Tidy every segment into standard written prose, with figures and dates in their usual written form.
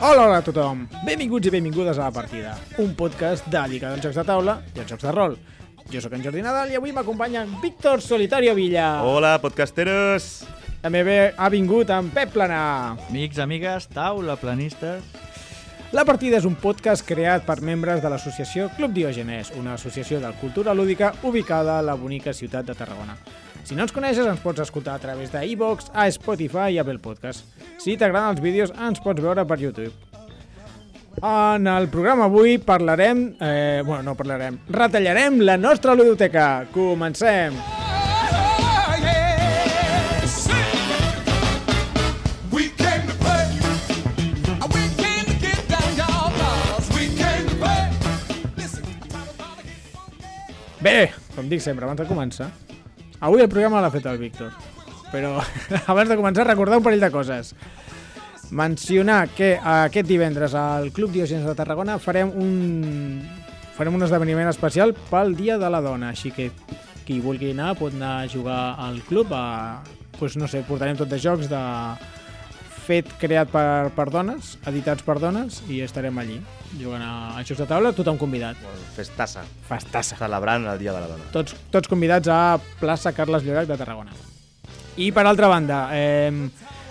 Hola a tothom, benvinguts i benvingudes a La Partida, un podcast dedicat als jocs de taula i als jocs de rol. Jo sóc en Jordi Nadal i avui m'acompanya en Víctor Solitario Villa. Hola, podcasteros! També ha vingut en Pep Planà. Amics, amigues, taula, planistes... La Partida és un podcast creat per membres de l'associació Club Diògenes, una associació de cultura lúdica ubicada a la bonica ciutat de Tarragona. Si no ens coneixes, ens pots escoltar a través de iVoox, a Spotify i Apple Podcast. Si t'agraden els vídeos, ens pots veure per YouTube. En el programa avui parlarem... retallarem la nostra ludoteca. Comencem! Bé, com dic sempre, abans de començar, avui el programa l'ha fet el Víctor, però abans de començar recordar un parell de coses. Mencionar que aquest divendres al Club Diògenes de Tarragona farem un esdeveniment especial pel Dia de la Dona, així que qui vulgui anar pot anar a jugar al club, portarem tot de jocs de fet creat per dones, editats per dones, i estarem allí jugant a jocs de taula, tothom convidat. Festassa. Festassa. Celebrant el Dia de la Dona. Tots convidats a plaça Carles Llorac de Tarragona. I per altra banda,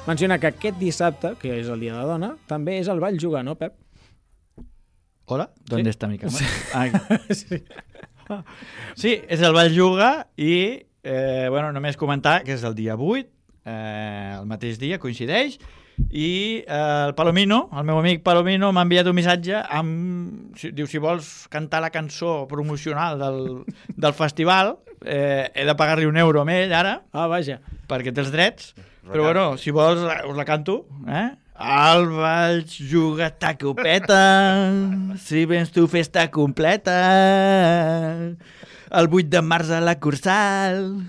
menciona que aquest dissabte, que és el Dia de la Dona, també és el Ball Jugar, no, Pep? Hola, ¿dónde está mi cama? Sí. Sí, és el Ball Juga i, només comentar que és el dia 8, el mateix dia, coincideix, i el Palomino, el meu amic Palomino, m'ha enviat un missatge diu, si vols cantar la cançó promocional del festival, he de pagar-li €1 a ell ara, Vaja. perquè té els drets, però bueno, si vols us la canto, El Ball Juga ta copeta, si vens tu festa completa, el 8 de març a la Cursal,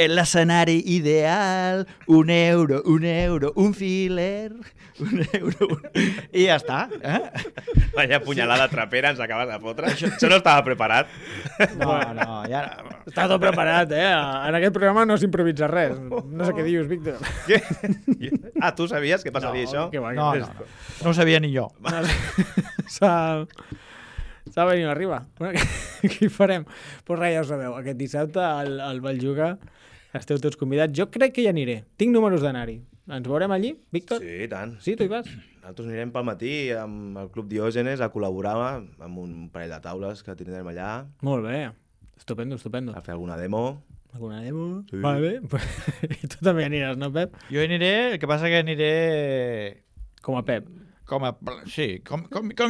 l'escenari ideal, €1, un filer, €1, i ja està. Vaya punyalada trapera ens acabes de fotre. Això no estava preparat. No, ja... Està tot preparat, En aquest programa no s'improvisa res. No sé què dius, Víctor. Què? Tu sabies que passaria això? No No ho sabia ni jo. S'ha venit arriba. Què hi farem? Pues res, ja ho sabeu. Aquest dissabte al Ball Juga esteu tots convidats. Jo crec que hi aniré. Tinc números d'anar-hi. Ens veurem allí, Víctor? Sí, i tant. Sí, tu hi vas? Nosaltres anirem pel matí amb el Club Diògenes a col·laborar amb un parell de taules que tindrem allà. Molt bé. Estupendo. A fer alguna demo. Alguna demo? Sí. Vale. I tu també aniràs, no, Pep? Jo aniré, el que passa que aniré... Com a Pep. Com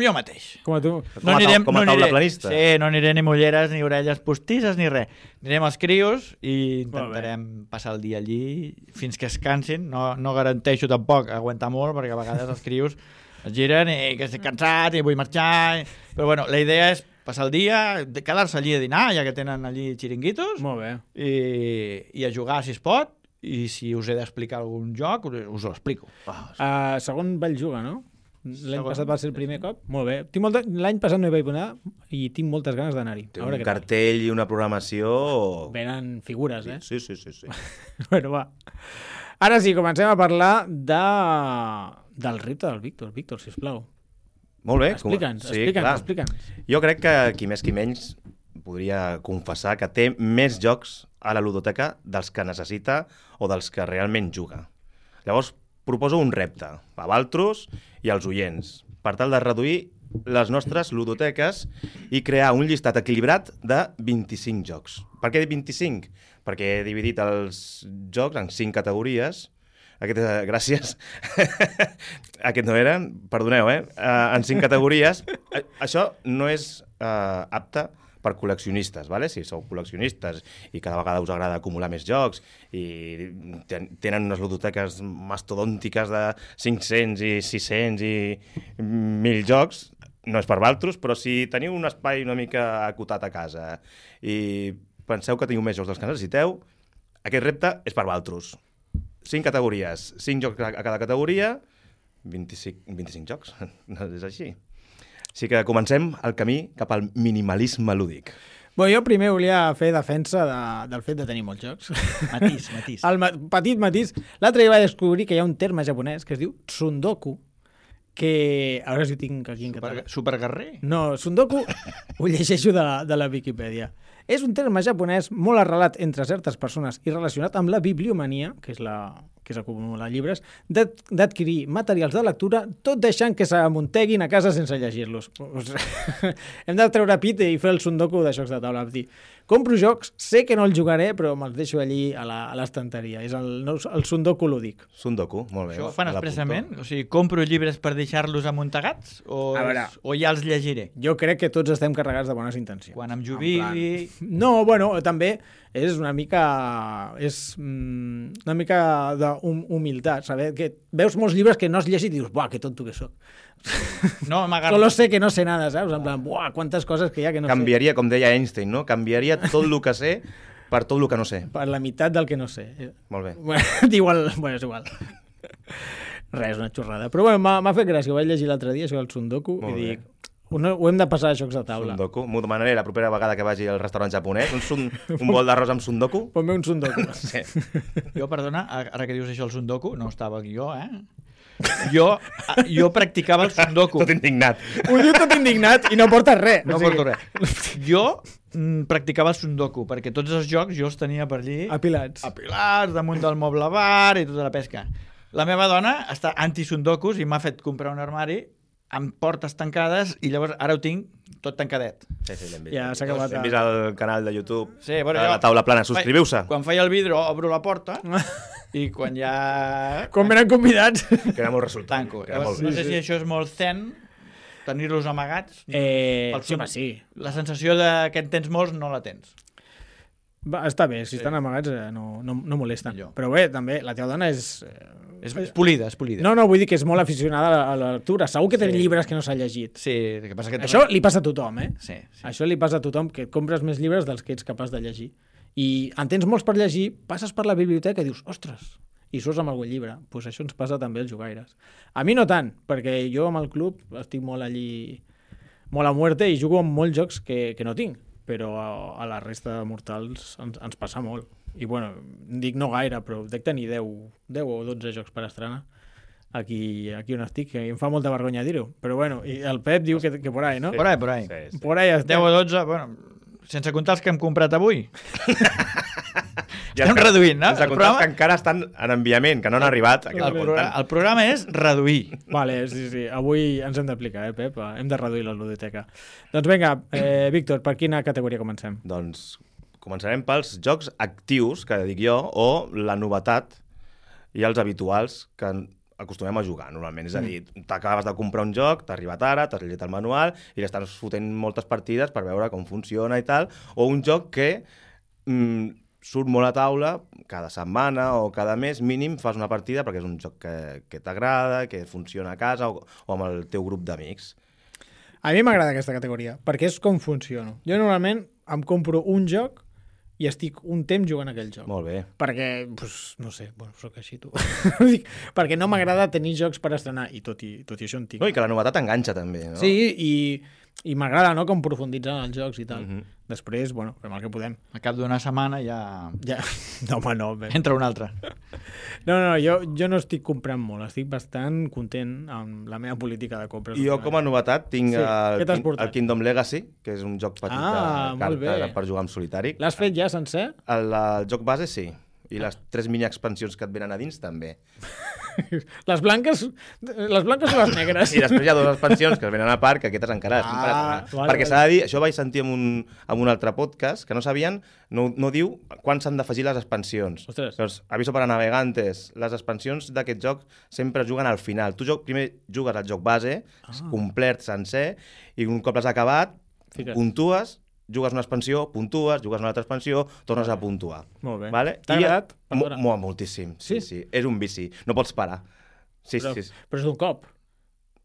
jo mateix. Com a tu. Com a taula planista. Sí, no aniré ni mulleres, ni orelles postisses, ni res. Anirem als crios i intentarem passar el dia allí fins que es cansin. No garanteixo tampoc aguantar molt, perquè a vegades els crios es giren i que estic cansat i vull marxar. Però bueno, la idea és passar el dia, quedar-se allí a dinar, ja que tenen allí xiringuitos. Molt bé. I a jugar si es pot. I si us he d'explicar algun joc, us ho explico. Segon Ball Juga, no? L'any passat va ser el primer cop? Molt bé. L'any passat no hi vaig anar i tinc moltes ganes d'anar-hi. Té un cartell i una programació... Venen figures, Sí. Bueno, va. Ara sí, comencem a parlar del repte del Víctor. Víctor, sisplau. Molt bé. Explica'ns. Jo crec que qui més qui menys podria confessar que té més jocs a la ludoteca dels que necessita o dels que realment juga. Llavors, proposo un repte a Valtros i als oients per tal de reduir les nostres ludoteques i crear un llistat equilibrat de 25 jocs. Per què 25? Perquè he dividit els jocs en 5 categories. Gràcies. Aquest no era, perdoneu, en 5 categories. Això no és apte per col·leccionistes, ¿vale? Si sou col·leccionistes i cada vegada us agrada acumular més jocs i tenen unes ludoteques mastodòntiques de 500 i 600 i 1.000 jocs, no és per Valtros, però si teniu un espai una mica acotat a casa i penseu que teniu més jocs dels que necessiteu, aquest repte és per Valtros. 5 categories, 5 jocs a cada categoria, 25 jocs, és així. Així que comencem el camí cap al minimalisme lúdic. Bé, jo primer volia fer defensa del fet de tenir molts jocs. Matís. Petit matís. L'altre dia vaig descobrir que hi ha un terme japonès que es diu tsundoku, que... A veure si ho tinc aquí en català. Superguerrer? No, Sundoku ho llegeixo de la Viquipèdia. És un terme japonès molt arrelat entre certes persones i relacionat amb la bibliomania, que és acumular llibres, d'adquirir materials de lectura tot deixant que s'amunteguin a casa sense llegir-los. Hem de treure pit i fer el Sundoku de jocs de taula. Dir, compro jocs, sé que no els jugaré, però me'ls deixo allí a l'estanteria. És el Sundoku lúdic. Sundoku, molt bé. Això ho fan expressament? O sigui, compro llibres per deixar-los amuntegats? O ja els llegiré? Jo crec que tots estem carregats de bones intencions. Quan em jubili... No, bueno, també és una mica d'humilitat, saber que veus molts llibres que no has llegit i dius, buah, que tonto que soc. No, Solo sé que no sé nada, saps? En plan, buah, quantes coses que hi ha que no Canviaria, com deia Einstein, no? Canviaria tot el que sé per tot el que no sé. Per la meitat del que no sé. Molt bé. És igual. Res, una xorrada. Però bueno, m'ha fet gràcia, ho vaig llegir l'altre dia, això del Sundoku, i dic, ho hem de passar a jocs de taula. Sundoku. M'ho demanaré la propera vegada que vagi al restaurant japonès. Un bol d'arròs amb Sundoku. Ponme un Sundoku. Sí. Jo, perdona, ara que dius això el Sundoku, no estava aquí jo, Jo practicava el Sundoku. Tot indignat. Ho diu tot indignat i no porta res. No porto res. Jo practicava el Sundoku, perquè tots els jocs jo els tenia per allí... Apilats, damunt del moble bar i tota la pesca. La meva dona està anti-Sundokus i m'ha fet comprar un armari amb portes tancades i llavors ara ho tinc tot tancadet. Sí, l'hem vist. Ja s'ha acabat. Hem vist el canal de YouTube, sí, bueno, la taula plana. Subscriviu-se. Quan feia el vidre obro la porta i quan ja... Quan venen convidats. Queda molt resultat. Tanco. Llavors, no sé si això és molt zen, tenir-los amagats. Sí, home, sí. La sensació de que en tens molts no la tens. Va, està bé, si estan amagats no molesten. Però bé, també, la teva dona és polida. No, vull dir que és molt aficionada a la lectura. Segur que té llibres que no s'ha llegit. Sí, que passa que... Això li passa a tothom, Sí. Això li passa a tothom, que compres més llibres dels que ets capaç de llegir. I en tens molts per llegir, passes per la biblioteca i dius, ostres, i surts amb algun llibre. Doncs això ens passa també als jugaires. A mi no tant, perquè jo amb el club estic molt allí, molt a muerte, i jugo amb molts jocs que no tinc. Però a la resta de mortals ens passa molt. I bueno, dic no gaire, però dec tenir 10 o 12 jocs per estrenar aquí on estic, que em fa molta vergonya dir-ho. Però bueno, i el Pep diu que por ahí, no? Por ahí. Sí. Por ahí estem. 10 o 12, bueno, sense comptar els que hem comprat avui. Ja estem reduint, no? Sense comptar que encara estan en enviament, que no han arribat. El programa és reduir. Vale, sí. Avui ens hem d'aplicar, Pep? Hem de reduir la ludoteca. Doncs vinga, Víctor, per quina categoria comencem? Doncs començarem pels jocs actius, que dic jo, o la novetat i els habituals que acostumem a jugar normalment. És a dir, t'acabes de comprar un joc, t'ha arribat ara, t'has llegit el manual i l'estàs fotent moltes partides per veure com funciona i tal, o un joc que surt molt a taula cada setmana o cada mes, mínim fas una partida perquè és un joc que t'agrada, que funciona a casa o amb el teu grup d'amics. A mi m'agrada aquesta categoria, perquè és com funciono. Jo normalment em compro un joc i estic un temps jugant aquell joc. Molt bé. Perquè, no sé, soc així, tu. Perquè no m'agrada tenir jocs per estrenar, i tot i això en tinc. No, i que la novetat enganxa també, no? Sí, i m'agrada, no?, com profunditzar en els jocs i tal. Després, fem el que podem. Al cap d'una setmana ja... No, home, no. Entra un altre. No, jo no estic comprant molt, estic bastant content amb la meva política de compres. I jo, com a novetat, tinc el Kingdom Legacy, que és un joc petit de cartes per jugar en solitari. L'has fet ja sencer? El joc base, sí. I les 3 mini-expansions que et venen a dins, també. Les blanques o les negres? I després hi ha 2 expansions que es venen a part, que aquestes encara perquè s'ha de dir, això vaig sentir en un altre podcast, que no sabien, no diu quan s'han d'afegir les expansions. Doncs, aviso per a navegantes, les expansions d'aquest joc sempre juguen al final. Tu primer jugues al joc base, complet, sencer, i un cop l'has acabat, puntues, jugues una expansió, puntues, jugues una altra expansió, tornes a puntuar. Molt bé. Vale? T'ha agradat? Moltíssim. Sí. És un vici. No pots parar. Sí. Però és d'un cop.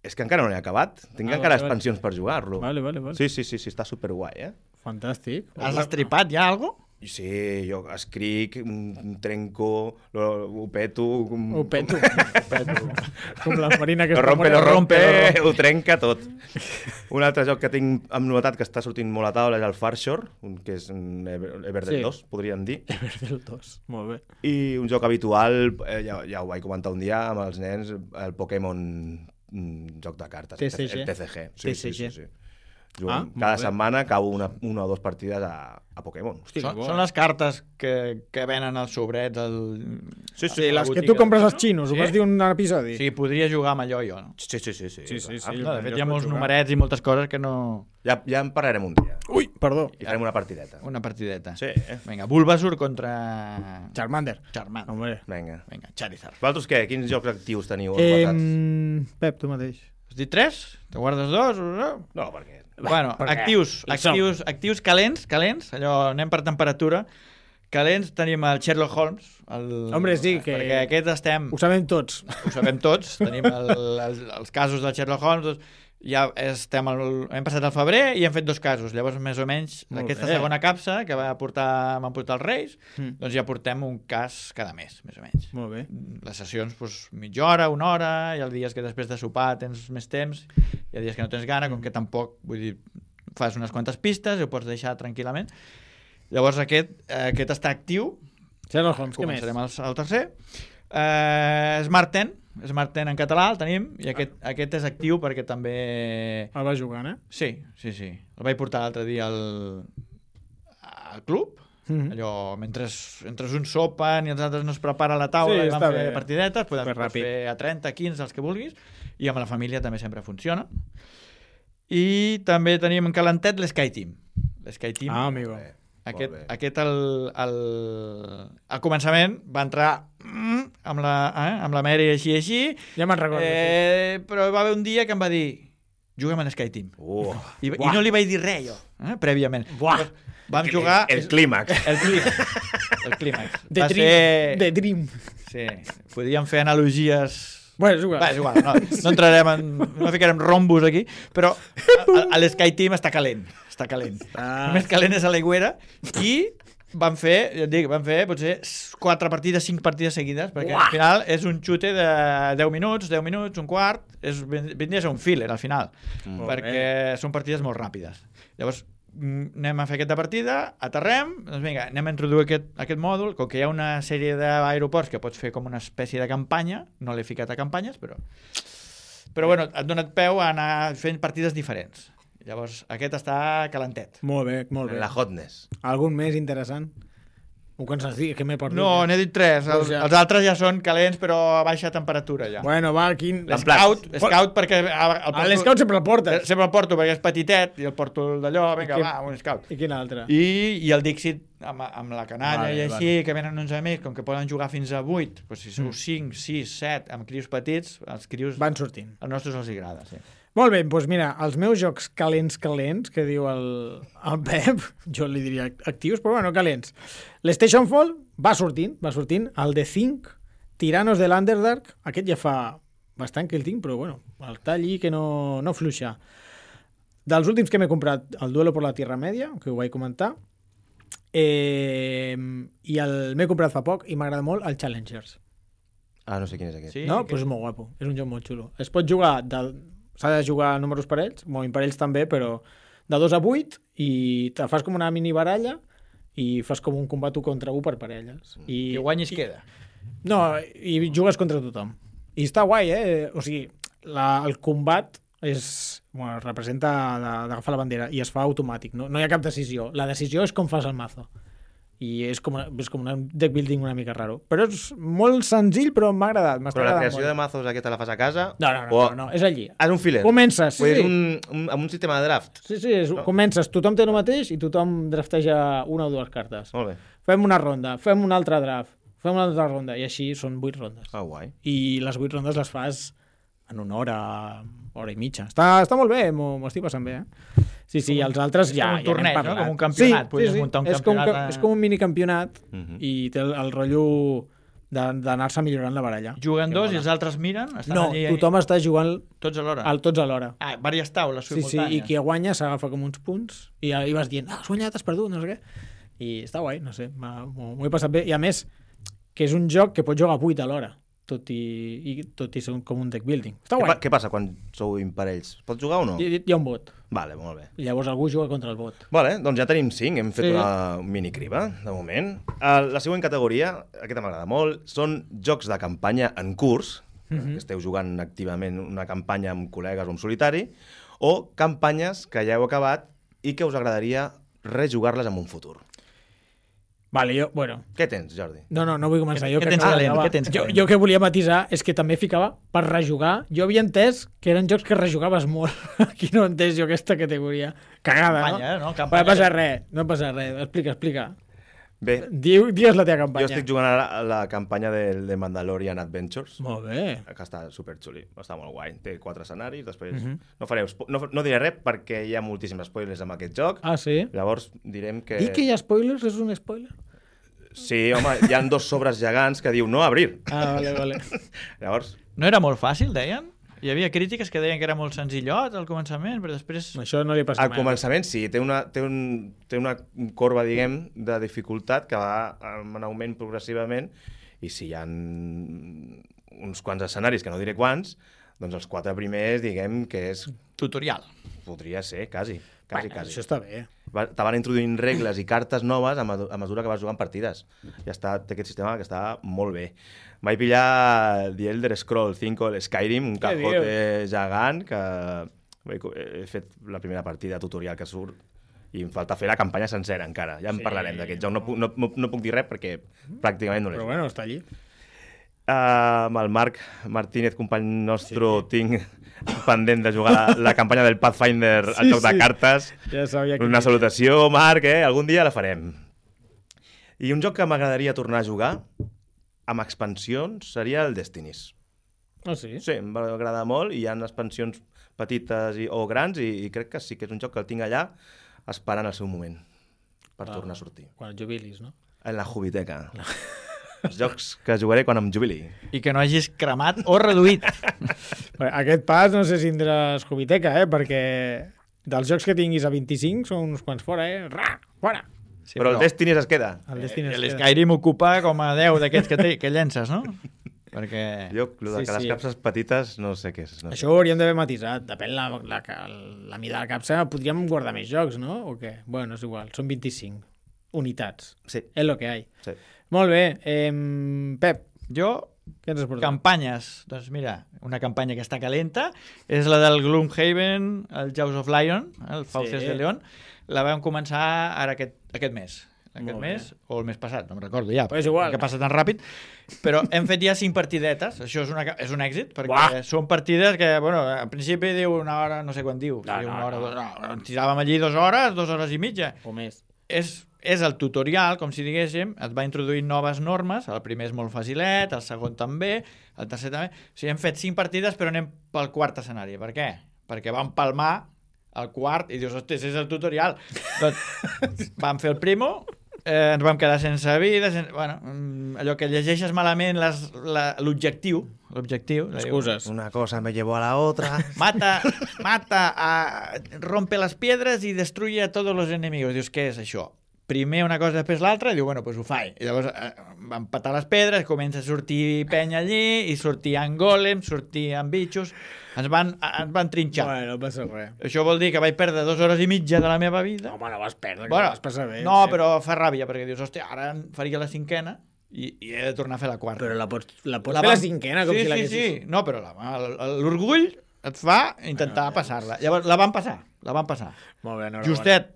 És que encara no l'he acabat. Tinc encara expansions per jugar-lo. Vale. Sí, està superguai, Fantàstic. Has estripat ja alguna cosa? Sí, jo escric, trenco, ho peto... Ho peto. Com la Marina que lo rompe, ho trenca tot. Un altre joc que tinc amb novetat que està sortint molt a taula és el Farshore, que és un Everdell 2, podríem dir. Everdell 2, molt bé. I un joc habitual, ja ho vaig comentar un dia amb els nens, el Pokémon joc de cartes, TCG. el TCG. Sí. Ah, Cada setmana acabo una o dues partides a Pokémon. Hosti, Són les cartes que venen als sobrets Sí, les que tu compres als xinos, ho vas dir un episodi. Sí, podria jugar amb allò jo, no? Sí. No, de fet, hi ha molts numerets i moltes coses que no... Ja en parlarem un dia. Ui, perdó. I farem una partideta. Una partideta. Sí. Vinga, Bulbasaur contra... Charmander. Hombre. Vinga. Charizard. Vosaltres què? Quins jocs actius teniu basats? Pep, tu mateix. Has dit 3? Te guardes 2? No, perquè... Bueno, actius calents, allò anem per temperatura. Calents tenim el Sherlock Holmes. Hombre, sí, que... Perquè aquest estem... Ho sabem tots. Tenim els casos del Sherlock Holmes. Ja hem passat al febrer i hem fet 2 casos. Llavors, més o menys, aquesta segona capsa que m'han portat els Reis, doncs ja portem un cas cada mes, més o menys. Molt bé. Les sessions, mitja hora, 1 hora, hi ha dies que després de sopar tens més temps, hi ha dies que no tens gana, com que tampoc, vull dir, fas unes quantes pistes i ho pots deixar tranquil·lament. Llavors aquest està actiu. Sherlock Holmes, què més? Començarem al tercer. Smart 10 en català el tenim i aquest és actiu perquè també... El vas jugant, Sí. El vaig portar l'altre dia al club. Allò, mentre uns sopen i els altres no es prepara la taula i van fer partidetes, pots fer a 30, 15, els que vulguis, i amb la família també sempre funciona. I també tenim en calentet l'Sky Team. Ah, amigo. Aquest al començament va entrar amb la Mary així. Ja me'n recordo. Però va haver un dia que em va dir juguem en Sky Team. I no li vaig dir res jo, prèviament. Vam jugar... El clímax. El clímax. The Dream. Sí, podríem fer analogies... Bueno, és igual. No entrarem no ficarem rombos aquí, però l'Sky Team està calent. Més calent és a l'aigüera i van fer potser 4 partides, 5 partides seguides, perquè al final és un xute de 10 minuts, un quart, vindria a ser un filler al final, perquè són partides molt ràpides. Llavors anem a fer aquesta partida, aterrem, doncs vinga, anem a introduir aquest mòdul, com que hi ha una sèrie d'aeroports que pots fer com una espècie de campanya, no l'he ficat a campanyes, però bueno, et dona peu a anar fent partides diferents. Llavors, aquest està calentet. Molt bé. La hotness. Algun més interessant? Ho canses dir, que m'he perdut. No, n'he dit 3. Els altres ja són calents, però a baixa temperatura ja. Bueno, va, quin... L'Scout, perquè... L'Scout sempre el portes. Sempre el porto, perquè és petitet, i el porto d'allò, vinga, va, un Scout. I quin altre? I el Dixit, amb la canalla i així, que venen uns amics, com que poden jugar fins a 8, doncs si sou 5, 6, 7, amb crios petits, els crios... Van sortint. Als nostres els agrada, sí. Molt bé, doncs mira, els meus jocs calents, que diu el Pep, jo li diria actius, però bueno, calents. L'Station Fall va sortint, el The Think, Tyrannos de l'Underdark, aquest ja fa bastant que el tinc, però bueno, el talli que no fluixa. Dels últims que m'he comprat, el Duelo por la Tierra Media, que ho vaig comentar, i m'he comprat fa poc i m'agrada molt el Challengers. Ah, no sé quin és aquest. Sí, no? Doncs és molt guapo, és un joc molt xulo. Es pot jugar s'ha de jugar a números parells, imparells també, però de 2 a 8 i te fas com una mini baralla i fas com un combat 1 contra 1 per parelles. I guanyis queda. No, i jugues contra tothom. I està guai, O sigui, el combat representa d'agafar la bandera i es fa automàtic, no hi ha cap decisió. La decisió és com fas el mazo. I és com un deck building una mica raro. Però és molt senzill, però m'ha agradat. Però la creació de mazos aquesta la fas a casa? No, és allí. És un filler? Comences, sí. Amb un sistema de draft? Sí, comences, tothom té el mateix i tothom drafteja 1 o 2 cartes. Molt bé. Fem una ronda, fem un altre draft, fem una altra ronda, i així són 8 rondes. Ah, guai. I les 8 rondes les fas en una hora i mitja. Està molt bé, m'ho estic passant bé, Sí, els altres ja un torneig, no? Com un campionat. Sí. És com un minicampionat i té el rotllo d'anar-se millorant la baralla. Juguen 2 i els altres miren? No, tothom està jugant tots alhora. Tots alhora. Diverses taules simultànies. Sí, i qui guanya s'agafa com uns punts i vas dient, has guanyat, has perdut, no sé què. I està guai, no sé, m'ho he passat bé. I a més, que és un joc que pots jugar 8 alhora. Tot i ser com un deck building. Està guai. Què passa quan sou imparells? Pots jugar o no? Hi ha un bot. Vale, molt bé. I llavors algú juga contra el bot. Vale, doncs ja tenim 5, hem fet una minicriba, de moment. La següent categoria, aquesta m'agrada molt, són jocs de campanya en curs, que esteu jugant activament una campanya amb col·legues o en solitari, o campanyes que ja heu acabat i que us agradaria rejugar-les en un futur. Vale, bueno... Què tens, Jordi? No vull començar. Què tens calent? Què tens Jo, calent? jo que volia matisar és que també ficava per rejugar. Jo havia entès que eren jocs que rejugaves molt. Aquí no he entès jo aquesta categoria. Cagada, Campanya, no? no? Campanya. No passa res, no passa res. Explica. Bé, Digues la teva campanya. jo estic jugant ara a la campanya de Mandalorian Adventures, Molt bé. que està superxuli, està molt guai. Té 4 escenaris, després no diré res perquè hi ha moltíssims spoilers amb aquest joc. Ah, sí? Llavors direm que... Dir que hi ha spoilers és un spoiler? Sí, home, hi ha 2 sobres gegants que diu no abrir. Ah, vale. Llavors, No era molt fàcil, deien? Hi havia crítiques que deien que era molt senzillot al començament, però després... Això no li passa al mai. començament sí, té una corba, diguem, de dificultat que va en augment progressivament, i si hi ha uns quants escenaris, que no diré quants, doncs els 4 primers, diguem, que és... Tutorial. Podria ser, quasi. Això està bé. Te van introduint regles i cartes noves a mesura que vas jugant partides. Ja està, té aquest sistema que està molt bé. Vaig pillar The Elder Scrolls 5, el Skyrim, un cajote gegant, que he fet la primera partida tutorial que surt i em falta fer la campanya sencera encara. Ja en parlarem d'aquest joc. No puc dir res perquè pràcticament no l'he Però bueno, està allí. amb el Marc Martínez, company nostre, tinc pendent de jugar la campanya del Pathfinder al joc de cartes. Ja sabia Una salutació, Marc, algun dia la farem. I un joc que m'agradaria tornar a jugar amb expansions seria el Destinies. Ah, sí? Sí, em va agradar molt i hi ha expansions petites o grans i crec que sí que és un joc que el tinc allà esperant el seu moment per tornar a sortir. Quan et jubilis, no? En la Jubiteca. Els jocs que jugaré quan em jubili. I que no hagis cremat o reduït. Bé, aquest pas no sé si tindràs Jubiteca, perquè dels jocs que tinguis a 25 són uns quants fora, fora! Sí, però el Destinies es queda. El Destiny es queda. L'Skyrim ocupa com a 10 d'aquests que llences, no? Perquè... Jo, el que les capses petites, no sé què és. No sé. Això ho hauríem d'haver matisat. Depèn la mida de la capsa. Podríem guardar més jocs, no? O què? Bueno, és igual. Són 25 unitats. Sí. És lo que hay. Sí. Molt bé. Pep, Jo, què ens has portat? campanyes. Doncs mira, una campanya que està calenta és la del Gloomhaven, el Jaws of Lion, el Fauces de León. La vam començar ara aquest mes. Aquest mes o el mes passat, no em recordo ja, Però és igual. que passa tan ràpid, però hem fet ja 5 partidetes, això és un èxit, perquè són partides que, bueno, al principi diu una hora, no sé quan diu, una hora, ens tiràvem allí 2 hores, 2 hores i mitja. O més. És el tutorial, com si diguéssim, et va introduint noves normes, el primer és molt facilet, el segon també, el tercer també. O sigui, hem fet 5 partides, però anem pel quart escenari. Per què? Perquè vam palmar el quart i dius, hosti, és el tutorial. Doncs vam fer el primo, ens vam quedar sense vida, bueno, allò que llegeixes malament l'objectiu. Excuses. Una cosa me llevó a la otra. Mata, rompe les piedres i destruye a tots els enemigos. Dius, què és això? Primer una cosa, després l'altra, i diu, bueno, pues ho faig. I llavors van patar les pedres, comença a sortir penya allí, i sortien golems, sortien bitxos, ens van trinxar. Bueno, no passa res. Això vol dir que vaig perdre 2 hores i mitja de la meva vida. Home, no vas perdre, Bueno, vas passar bé. no, però fa ràbia, perquè dius, hòstia, ara faria la 5ª i he de tornar a fer la 4ª. Però la pots fer la 5ª, com si l'haguessis... Sí, no, però l'orgull et fa intentar passar-la. Llavors, la van passar. Molt bé, enhorabona. Justet.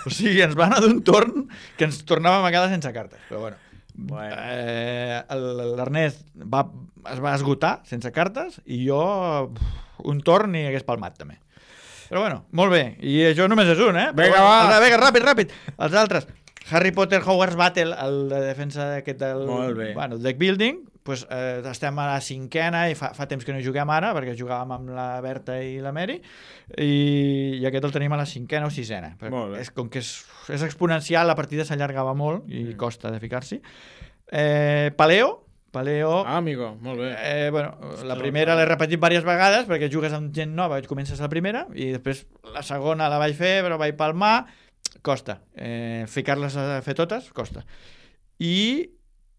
O sigui, ens va anar d'un torn que ens tornàvem a quedar sense cartes. Però bueno. L'Ernest es va esgotar sense cartes i jo un torn i hagués palmat també. Però bueno, molt bé. I això només és un, Vinga, va. Vinga, ràpid. Els altres. Harry Potter Hogwarts Battle, el de defensa aquest del... Molt bé. Bueno, deck building, pues, estem a la 5ª i fa temps que no juguem ara, perquè jugàvem amb la Berta i la Mary, i aquest el tenim a la 5ª o 6ª. Molt bé. Com que és exponencial, la partida s'allargava molt i costa de ficar-s'hi. Paleo. Ah, amigo, molt bé. Bueno, la primera l'he repetit diverses vegades perquè jugues amb gent nova, comences la primera i després la segona la vaig fer però vaig palmar, costa. Ficar-les a fer totes, costa. I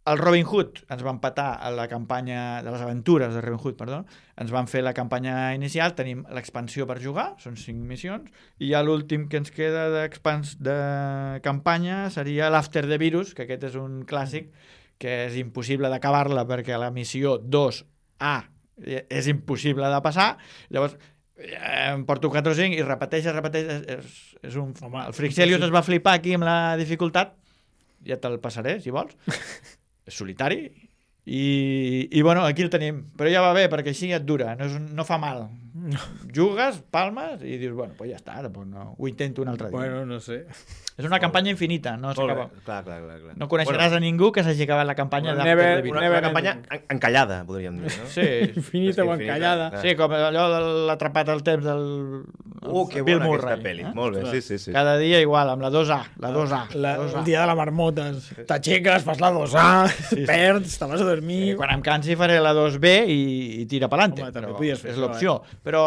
el Robin Hood ens va empatar a la campanya de les aventures de Robin Hood, perdó. Ens van fer la campanya inicial, tenim l'expansió per jugar, són 5 missions, i ja l'últim que ens queda de campanya seria l'After the Virus, que aquest és un clàssic que és impossible d'acabar-la perquè a la missió 2 és impossible de passar, llavors em porto 4 o 5 i repeteixes, és un... Home, el Frixelius es va flipar aquí amb la dificultat, ja te'l passaré, si vols. És solitari i bueno, aquí el tenim, però ja va bé perquè així et dura, no fa mal. Jugues, palmes i dius, bueno, pues ja està, no, ho intento un altre dia. Bueno, no sé. És una campanya infinita, no s'acaba. Clar. No coneixeràs a ningú que s'hagi acabat la campanya Bueno, d'After never- the Beat. Una campanya encallada, podríem dir, no? Sí, Infinita o encallada. sí, com allò de l'atrapat al temps del Que Bill bona Murray. aquesta pel·li. Molt bé, sí. Cada dia igual, amb la 2A, la 2A. El dia de la marmota. T'aixeques, fas la 2A, perds, te vas a dormir... Quan em cansi faré la 2B i tira pelante. Home, també Però podies fer és això, l'opció. Però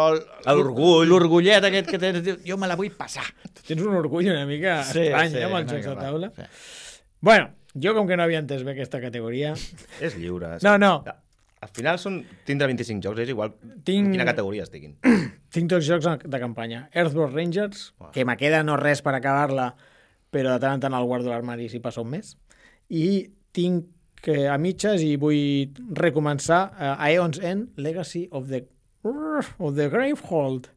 L'orgull. l'orgullet aquest que tens, diu, jo me la vull passar. Tens un orgull una mica estrany, amb els una jocs de mica taula. clar, sí. Bueno, jo com que no havia entès bé aquesta categoria... És lliure. No. Al final tindre 25 jocs, és igual Tinc- en quina categoria estiguin. Tinc dos jocs de campanya. Earthbound Rangers, que me queda no res per acabar-la, però de tant en tant el guardo a l'armari si passa un mes. I tinc a mitges i vull recomençar Aeon's End, Legacy of the Gravehold.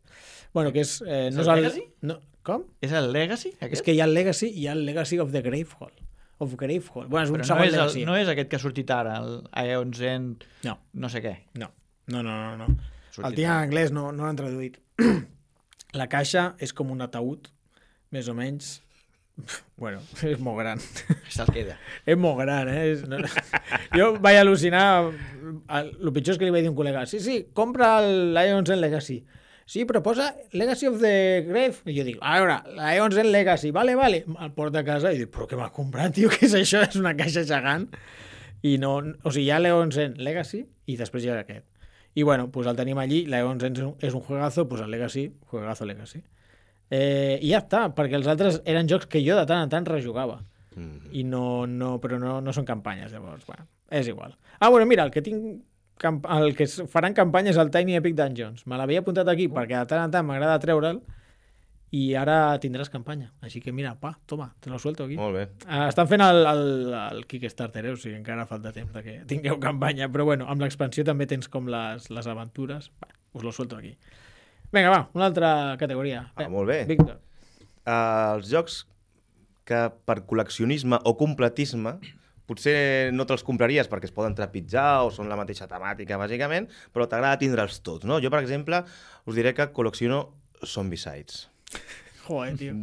Bueno, que és... el no és Legacy? No, com? És el Legacy, aquest? És que hi ha el Legacy i hi ha el Legacy of the Gravehold. Bueno, és un Però segon no és, Legacy. no és aquest que ha sortit ara, el Aeon's End, No. no sé què. No. El Sortit tinc en anglès, no l'han traduït. La caixa és com un ataúd, més o menys. Bueno, és molt gran. Se'l queda. És molt gran, Jo vaig al·lucinar. El pitjor és que li vaig dir a un col·lega, sí, compra el Lions End Legacy. Sí, però posa Legacy of the Grave. I jo dic, a veure, Lions End Legacy, vale. El porta a casa i dic, però què m'ha comprat, tio? Què és això? És una caixa gegant. I no, o sigui, hi ha Lions End Legacy i després hi ha aquest. I bueno, pues el tenim allí, Lions End és un juegazo, pues el Legacy, juegazo Legacy. I ja està, perquè els altres eren jocs que jo de tant en tant rejugava. I però no són campanyes, llavors, bueno, és igual. Bueno, mira, el que faran campanya és el Tiny Epic Dungeons. Me l'havia apuntat aquí perquè de tant en tant m'agrada treure'l i ara tindràs campanya. Així que mira, toma, te lo suelto aquí. Molt bé. Estan fent el Kickstarter, o sigui, encara falta temps de que tingueu campanya, però bueno, amb l'expansió també tens com les aventures. Us lo suelto aquí. Vinga, va, una altra categoria. Molt bé. Víctor. Els jocs que per col·leccionisme o completisme potser no te'ls compraries perquè es poden trepitjar o són la mateixa temàtica, bàsicament, però t'agrada tindre'ls tots, no? Jo, per exemple, us diré que col·lecciono Zombicides. Joder, tio.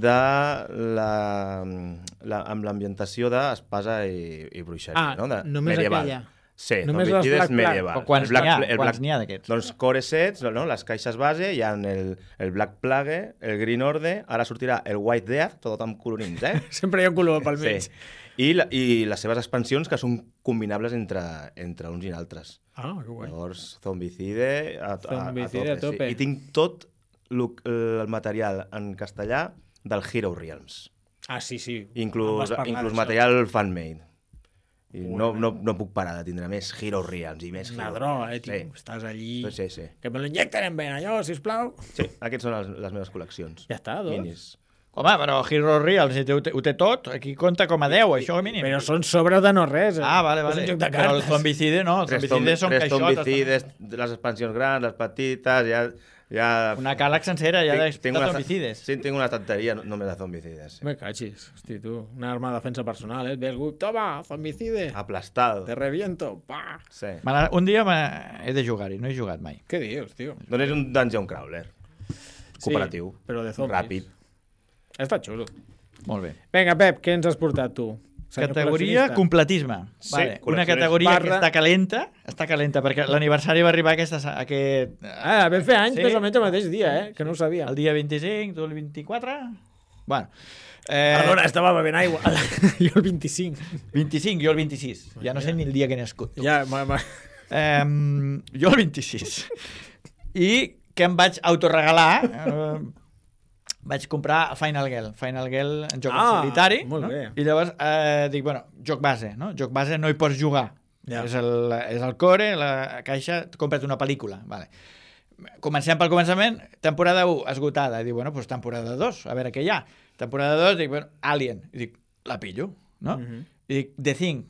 Amb l'ambientació d'espasa i bruixeria, no? Només medieval. aquella. Sí, Només els Zombicides Black Plague. medieval. Però quants n'hi ha d'aquests? Doncs core sets, no? Les caixes base, hi ha el Black Plague, el Green Order, ara sortirà el White Death, tot amb colorins, Sempre hi ha un color pel mig. Sí. I les seves expansions que són combinables entre uns i altres. Que guai. Llavors, Zombicide Zombicide a tope. Sí. I tinc tot el material en castellà del Hero Realms. Sí. Inclús material fan-made. I no puc parar de tindre més Hero Realms i més Una Hero. droga, tio. Sí. Estàs allí... Sí. Que me lo inyecten en vena, allò, sisplau. Sí, aquests són les meves col·leccions. Ja està, doncs. Minis. Home, però Hero Real, si ho té tot, aquí compta com a 10, això mínim. Però són sobres de no res. Vale. És un joc de Però el cartes. Zombicide no, el Zombicide són Tres caixotes. Zombicides, les expansions grans, les petites, ja... Una càleg sencera ja de Zombicides. Sí, tinc una estanteria només de Zombicides. Sí. Me cachis, hosti, tu. Una arma de defensa personal, Et ve algú, toma, zombicide. Aplastado. Te reviento, pa. Sí. Un dia he de jugar-hi, no he jugat mai. Què dius, tio? Doncs és un dungeon crawler. Cooperatiu. Sí, però de zombis. Ràpid. Està xulo. Molt bé. Vinga, Pep, què ens has portat tu? Senyor Categoria col·leccionista. completisme. Sí, Vale. Una col·leccionista. categoria que Barra- està calenta, perquè l'aniversari va arribar aquest Vam fer anys Sí. més o menys el mateix dia, que no ho sabia. el dia 25, tu el 24? Bueno. Perdona, estava bevent aigua. Jo el 25. 25, jo el 26. Ja no sé ni el dia que he nascut. Tu. Ja, Jo el 26. I que em vaig autoregalar... vaig comprar Final Girl en joc en solitari, molt no? bé. I llavors dic, bueno, joc base, no? Joc base no hi pots jugar. Ja. És el core, la caixa, compra't una pel·lícula. Vale. Comencem pel començament, temporada 1 esgotada. Dic, bueno, doncs temporada 2, a veure què hi ha. Temporada 2, dic, bueno, Alien. I dic, la pillo, no? I dic, The Thing,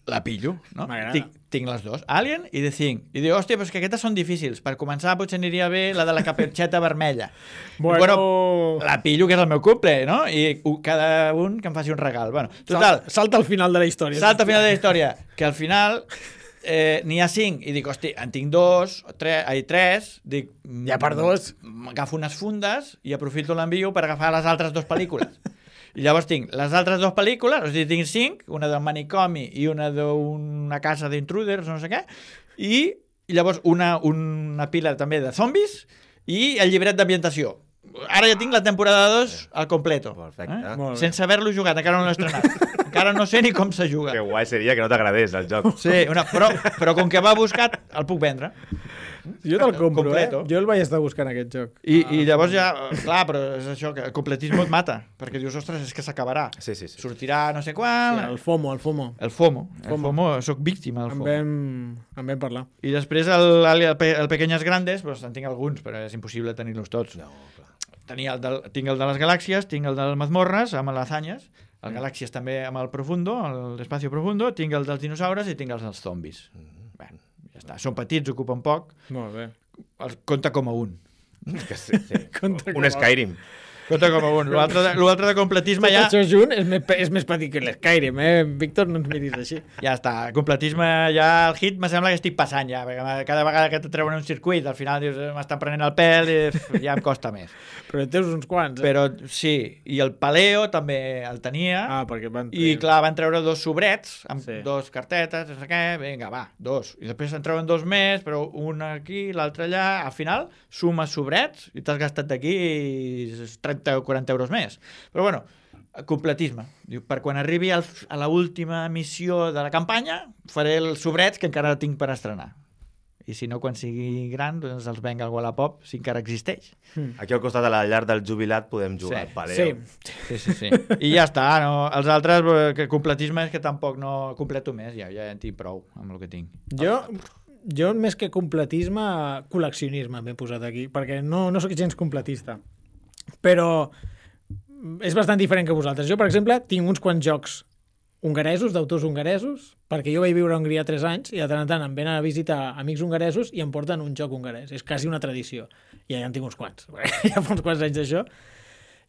la pillo, no? M'agrada. Tinc les dues, Alien i The Thing. I dic, hòstia, però és que aquestes són difícils. Per començar, potser aniria bé la de la caputxeta vermella. Bueno, la pillo, que és el meu cumple, no? I cada un que em faci un regal. Bueno, total, salta al final de la història. salta al final de la història, que al final n'hi ha 5, i dic, hosti, en tinc 2, 3, dic... Ja per 2. Agafo unes fundes i aprofito l'envio per agafar les altres 2 pel·lícules. I llavors tinc les altres 2 pel·lícules, o sigui, tinc 5, una del manicomi i una d'una casa d'intruders, no sé què, i llavors una pila també de zombis i el llibret d'ambientació. Ara ja tinc la temporada 2 al completo. Perfecte. Molt bé. Sense haver-lo jugat, encara no l'he estrenat. Encara no sé ni com se juga. Que guai seria que no t'agradés el joc. Sí, però com que va buscat, el puc vendre. Jo te'l compro, Completo. Jo el vaig estar buscant, aquest joc. I llavors ja, clar, però és això, que el completisme et mata, perquè dius, ostres, és que s'acabarà. Sí. Sortirà no sé quan... El FOMO. El FOMO, soc víctima del FOMO. En vam parlar. I després el Pequeñas Grandes, doncs en tinc alguns, però és impossible tenir-los tots. No, clar. Tinc el de les galàxies, tinc el de les mazmorres, amb les Azanyes, el Galàxies també amb el Profundo, l'Espacio Profundo, tinc el dels dinosaures i tinc els dels zombis. Bé, ja està. Són petits, ocupen poc, Molt bé. compta com a un. Que sí. Compte Un Skyrim. Compta com a un. L'altre de completisme Tot ja... això junt és més petit que l'Skyrim, Víctor, no ens miris així. Ja està, completisme ja el hit me sembla que estic passant ja, perquè cada vegada que te treuen un circuit al final dius, m'estan prenent el pèl i ja em costa més. Però en teus uns quants, Però sí, i el Paleo també el tenia, perquè van... i clar, van treure 2 sobrets amb Sí. 2 cartetes, no sé què, vinga, va, 2. I després en treuen 2 més, però un aquí, l'altre allà, al final sumes sobrets i t'has gastat d'aquí 30 o 40 euros més. Però bueno, completisme. Diu, per quan arribi a l'última missió de la campanya, faré els sobrets que encara tinc per estrenar. I si no, quan sigui gran, doncs els venc al Wallapop, si encara existeix. Aquí al costat de la llar del jubilat podem jugar al Paleo. Sí. I ja està. No? Els altres, que completisme és que tampoc no completo més. Ja en tinc prou amb el que tinc. Jo més que completisme, col·leccionisme m'he posat aquí, perquè no sóc gens completista. Però és bastant diferent que vosaltres. Jo, per exemple, tinc uns quants jocs hongaresos, d'autors hongaresos, perquè jo vaig viure a Hongria 3 anys i de tant en tant em venen a visitar amics hongaresos i em porten un joc hongarès. És quasi una tradició. I ja en tinc uns quants. Ja fa uns quants anys d'això.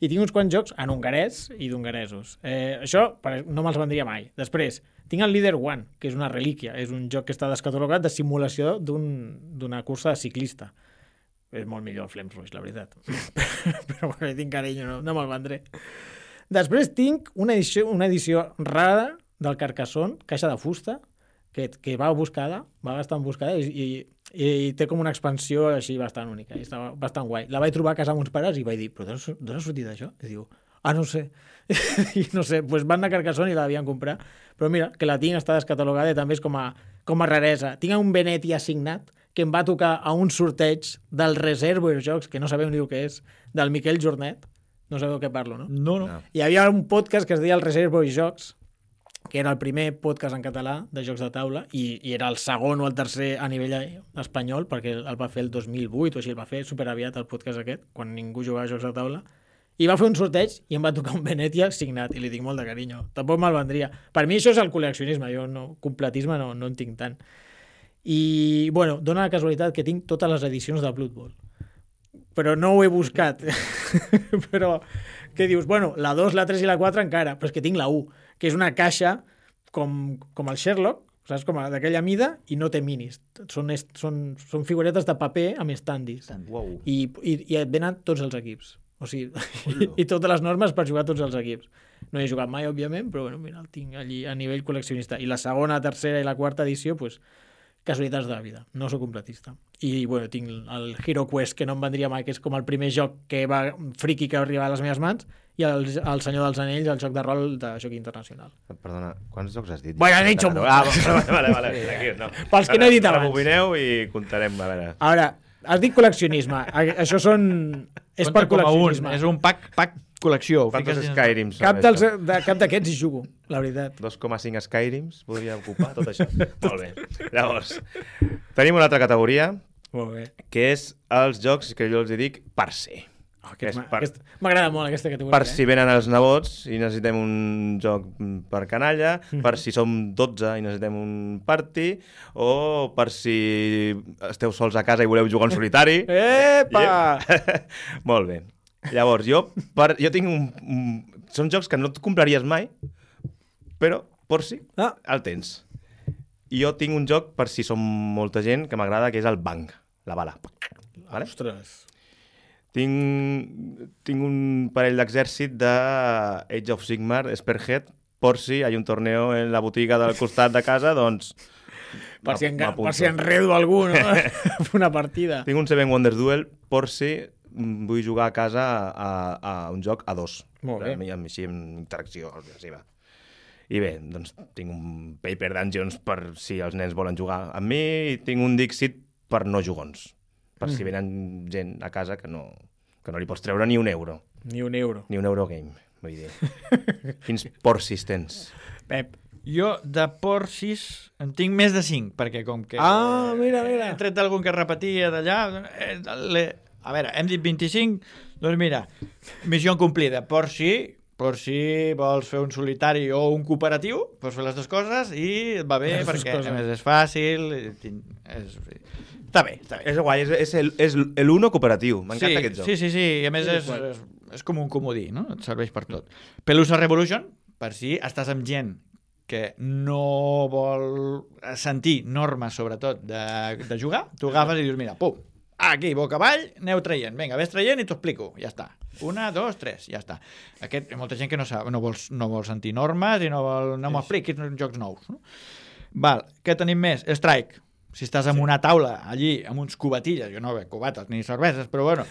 I tinc uns quants jocs en hongarès i d'hongaresos. Això no me'ls vendria mai. Després, tinc el Leader One, que és una relíquia. És un joc que està descatalogat de simulació d'una cursa de ciclista. És molt millor el Flames Rush, la veritat. Però bueno, tinc carinyo, no me'l vendré. Després tinc una edició rara del Carcassonne, caixa de fusta, que va buscada, va bastant buscada i té com una expansió així bastant única. I està bastant guai. La vaig trobar a casa amb uns pares i vaig dir, però d'on has sortit això? I diu, no sé. I no sé, doncs van a Carcassonne i la devien comprar. Però mira, que la tinc, està descatalogada i també és com a raresa. Tinc un Benetti assignat que em va tocar a un sorteig del Reservoir Jocs, que no sabeu ni el que és, del Miquel Jornet. No sabeu què parlo, no? No. Hi havia un podcast que es deia el Reservoir Jocs, que era el primer podcast en català de jocs de taula i era el segon o el tercer a nivell espanyol, perquè el va fer el 2008 o així, el va fer superaviat el podcast aquest, quan ningú jugava a jocs de taula. I va fer un sorteig i em va tocar un Venetia signat i li tinc molt de carinyo. Tampoc me'l vendria. Per mi això és el col·leccionisme, jo completisme no en tinc tant. I, bueno, dona la casualitat que tinc totes les edicions de Blood Bowl. Però no ho he buscat. Però, què dius? Bueno, la 2, la 3 i la 4 encara, però és que tinc la 1, que és una caixa com el Sherlock, saps? Com d'aquella mida, i no té minis. Són figuretes de paper amb standees. Wow. I et venen tots els equips. O sigui, i totes les normes per jugar a tots els equips. No he jugat mai, òbviament, però bueno, mira, el tinc allí a nivell col·leccionista. I la segona, tercera i la quarta edició, doncs, casualitats de la vida. No sóc completista. I, bueno, tinc el Hero Quest, que no em vendria mai, que és com el primer joc friki que va arribar a les meves mans, i el Senyor dels Anells, el joc de rol de joc internacional. Perdona, quants jocs has dit? Bueno, he dit un munt. Vale, tranquil, no. Pels que no he dit abans. Rebobineu i comptarem, a veure. Ara, has dit col·leccionisme. Això és per col·leccionisme. És un pack col·lecció. Quantos Skyrims Cap d'aquests hi jugo, la veritat. 2,5 Skyrims podria ocupar tot això. Molt bé. Llavors, tenim una altra categoria, Molt bé. que és els jocs que jo els dic per ser. M'agrada molt aquesta categoria. Per si venen els nebots i necessitem un joc per canalla, per si som 12 i necessitem un party, o per si esteu sols a casa i voleu jugar en solitari. Epa! Molt bé. Llavors, jo tinc són jocs que no et compraries mai, però per si el tens. I jo tinc un joc per si som molta gent que m'agrada, que és el Bang, la bala. Vale? Ostres. Tinc un parell d'exèrcit de Age of Sigmar, Spearhead, per si hi ha un torneo en la botiga del costat de casa, doncs... Per si enredo algú, no? Una partida. Tinc un Seven Wonders Duel, per si vull jugar a casa a un joc a 2. Molt bé. Així, amb interacció agressiva. I bé, doncs tinc un Paper Dungeons per si els nens volen jugar amb mi, i tinc un Dixit per no jugons. Per si venen gent a casa que no li pots treure ni un euro. Ni un euro. Ni un Eurogame, vull dir. Quins porcis tens? Pep. Jo de porcis en tinc més de 5, perquè com que... Mira. He tret algun que repetia d'allà... A veure, hem dit 25, doncs mira, missió complida. Porci vols fer un solitari o un cooperatiu, pots fer les dues coses i et va bé perquè a més és fàcil... Està bé. És guai, és l'uno cooperatiu. M'encanta aquest joc. Sí. I a més és com un comodí, no? Et serveix per tot. Pelusa Revolution, per si estàs amb gent que no vol sentir normes, sobretot, de jugar, tu agafes i dius, mira, pum, aquí, boca avall, aneu traient. Vinga, ves traient i t'ho explico. Ja està. 1, 2, 3, ja està. Hi ha molta gent que no vol sentir normes i no m'expliquis jocs nous. No? Val, què tenim més? Strike. Si estàs en una taula allí, amb uns cubatilles, jo no veig cubates ni cerveses, però bueno,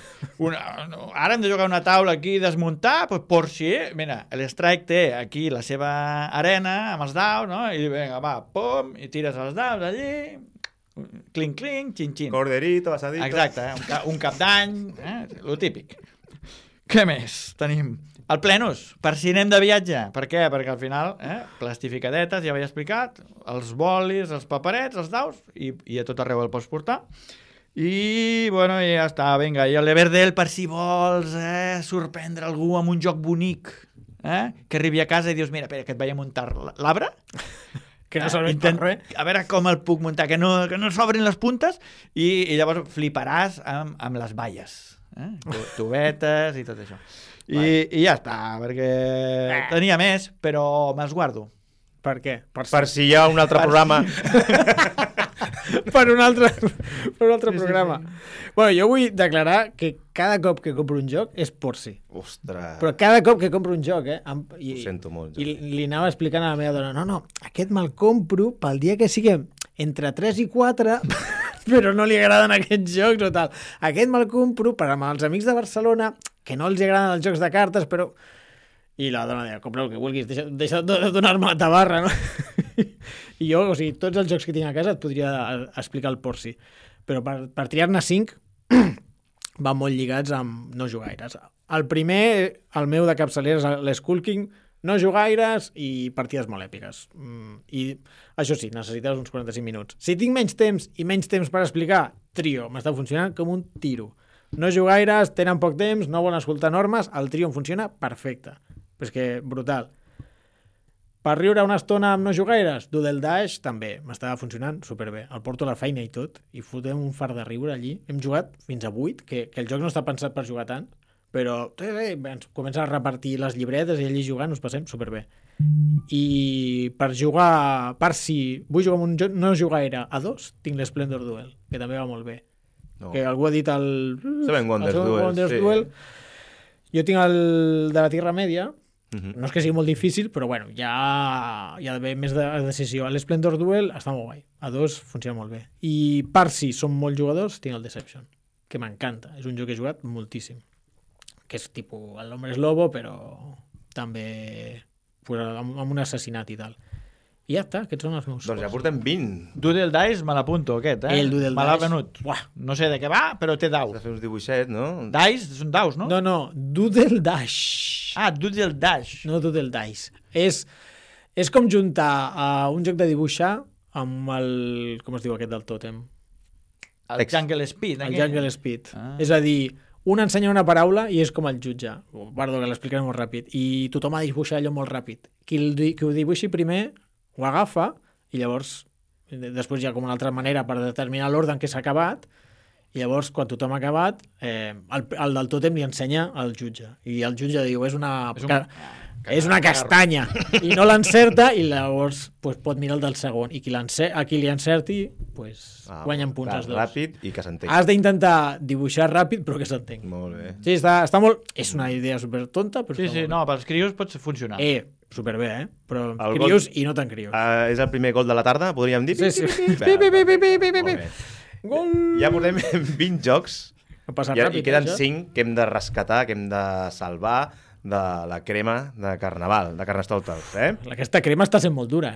ara hem de jugar una taula aquí i desmuntar, doncs por si, mira, l'Strike té aquí la seva arena amb els daus, no? I vinga, va, pum, i tires els daus allí, clink, xin. Corderito, asadito. Exacte, un cap d'any, lo típic. Què més tenim? El Plenus, per si anem de viatge. Per què? Perquè al final, plastificadetes, ja ho he explicat, els bolis, els paperets, els daus, i a tot arreu el pots portar. I, bueno, ja està, vinga. I l'Everdell, per si vols sorprendre algú amb un joc bonic, que arribi a casa i dius, mira, espera, que et vaig a muntar l'arbre, que no serveix per res. A veure com el puc muntar, que no s'obrin les puntes, i llavors fliparàs amb les valles, tubetes i tot això. I ja està, perquè tenia més, però me'ls guardo. Per què? Per si hi ha un altre programa. per un altre programa. Sí. Bueno, jo vull declarar que cada cop que compro un joc és por si. Ostres. Però cada cop que compro un joc, Ho sento molt. I li anava explicant a la meva dona, no, aquest me'l compro pel dia que siguem entre 3 i 4... però no li agraden aquests jocs o tal. Aquest me'l compro per amb els amics de Barcelona, que no els agraden els jocs de cartes, però... I la dona deia, compra el que vulguis, deixa de donar-me la tabarra, no? I jo, o sigui, tots els jocs que tinc a casa et podria explicar el porci. Però per triar-ne 5, van molt lligats amb no jugaires. El primer, el meu de capçalera, és l'Skull King, no jugaires i partides molt èpiques. I això sí, necessites uns 45 minuts. Si tinc menys temps i menys temps per explicar, trio, m'està funcionant com un tiro. No jugaires, tenen poc temps, no volen escoltar normes, el trio em funciona perfecte. Però és que brutal. Per riure una estona amb no jugaires, Doodle Dash també m'estava funcionant superbé. El porto a la feina i tot, i fotem un fart de riure allí. Hem jugat fins a 8, que el joc no està pensat per jugar tant, però ens comença a repartir les llibretes i allí jugant us passem superbé. I per jugar, per si vull jugar amb un joc no jugaire a 2, tinc l'Splendor Duel, que també va molt bé. No. Que algú ha dit el Seven Wonders Duel. Jo tinc el de la Tierra Media. No és que sigui molt difícil, però bueno, ja hi ha d'haver més de decisió. L'Splendor Duel està molt guai. A 2 funciona molt bé. I per si som molt jugadors, tinc el Deception, que m'encanta. És un joc que he jugat moltíssim. Que és tipus el Hombre Lobo, però també amb un assassinat i tal. I ja està, aquests són els meus. Doncs ja portem 20. Doodle Dice me l'apunto, aquest, El Doodle Dice. Me l'ha venut. No sé de què va, però té daus. Has de fer uns dibuixets, no? Dice són daus, no? No, Doodle Dash. Doodle Dash. No Doodle Dice. És com juntar un joc de dibuixar amb el... Com es diu aquest del tòtem? El Jungle Speed. El Jungle Speed. És a dir, un ensenya una paraula i és com el jutge. Perdó, que l'explicaré molt ràpid. I tothom ha de dibuixar allò molt ràpid. Qui ho dibuixi primer ho agafa i llavors després hi ha com una altra manera per determinar l'ordre en què s'ha acabat i llavors quan tothom ha acabat el del tòtem li ensenya al jutge i el jutge diu és una castanya i no l'encerta i llavors pot mirar el del segon i a qui li encerti guanyen punts els dos. Ràpid i que s'entengui. Has d'intentar dibuixar ràpid però que s'entengui. Molt bé. Sí, està molt... És una idea super tonta però sí, no, pels crios pot funcionar. Superbé, però crios i no tan crios. És el primer gol de la tarda, podríem dir? Sí. Gol! Ja portem 20 jocs i queden 5 que hem de rescatar, que hem de salvar de la crema de Carnaval, de Carnestoltes, Aquesta crema està sent molt dura,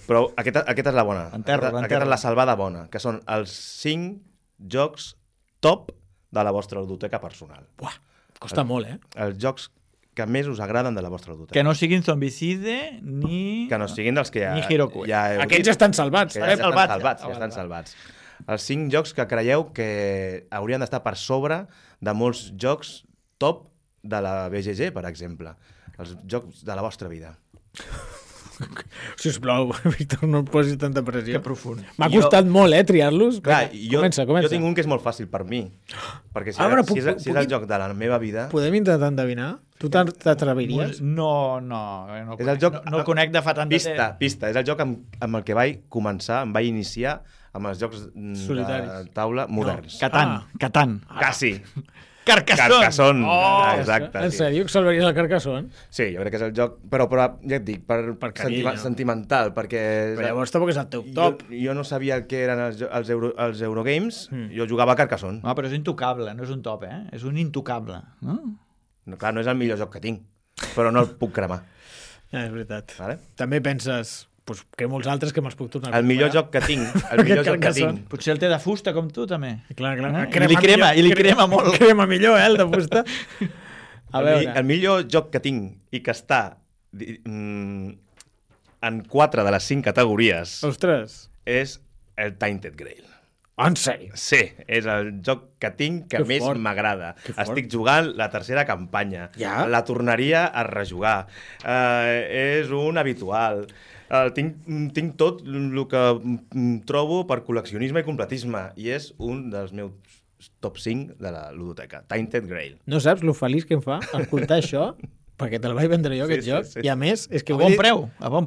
Però aquesta és la bona. Aquesta és la salvada bona, que són els 5 jocs top de la vostra ludoteca personal. Buah, costa molt, Els jocs que més us agraden de la vostra ludoteca. Que no siguin Zombicide ni... Que no siguin dels que ni Hiroku. Aquests ja estan salvats. Ja estan salvats. Els 5 jocs que creieu que haurien d'estar per sobre de molts jocs top de la BGG, per exemple. Els jocs de la vostra vida. Sisplau, Víctor, no em posis tanta pressió. Que profund. M'ha costat molt, triar-los. Clar, Comença. Jo tinc un que és molt fàcil per mi. Perquè si és el joc de la meva vida... Podem intentar endevinar? Tu t'atreviries? No el conec de fa tant de temps. Pista. És el joc amb el que vaig començar, em vaig iniciar amb els jocs de taula moderns. Catan. Quasi. Carcassonne. Exacte. En sèrio que salvaries el Carcassonne? Sí, jo crec que és el joc, però ja et dic, per sentimental, perquè... Però llavors tampoc és el teu top. Jo no sabia què eren els Eurogames, jo jugava a Carcassonne. No, però és intocable, no és un top, És un intocable, no? No, clar, no és el millor joc que tinc, però no el puc cremar. Ja, és veritat. Vale? També penses... que molts altres que me'ls puc tornar a comprar. El millor joc que tinc. Potser el té de fusta, com tu, també. Clar. I li crema molt. Crema millor, el de fusta. El millor joc que tinc i que està en 4 de les 5 categories és el Tainted Grail. En sèrio? Sí, és el joc que tinc que més m'agrada. Estic jugant la tercera campanya. La tornaria a rejugar. És un habitual. Tinc tot el que trobo per col·leccionisme i completisme i és un dels meus top 5 de la ludoteca, Tainted Grail. No saps lo feliç que em fa escoltar això? Perquè te'l vaig vendre jo, aquest joc. I a més... és que a bon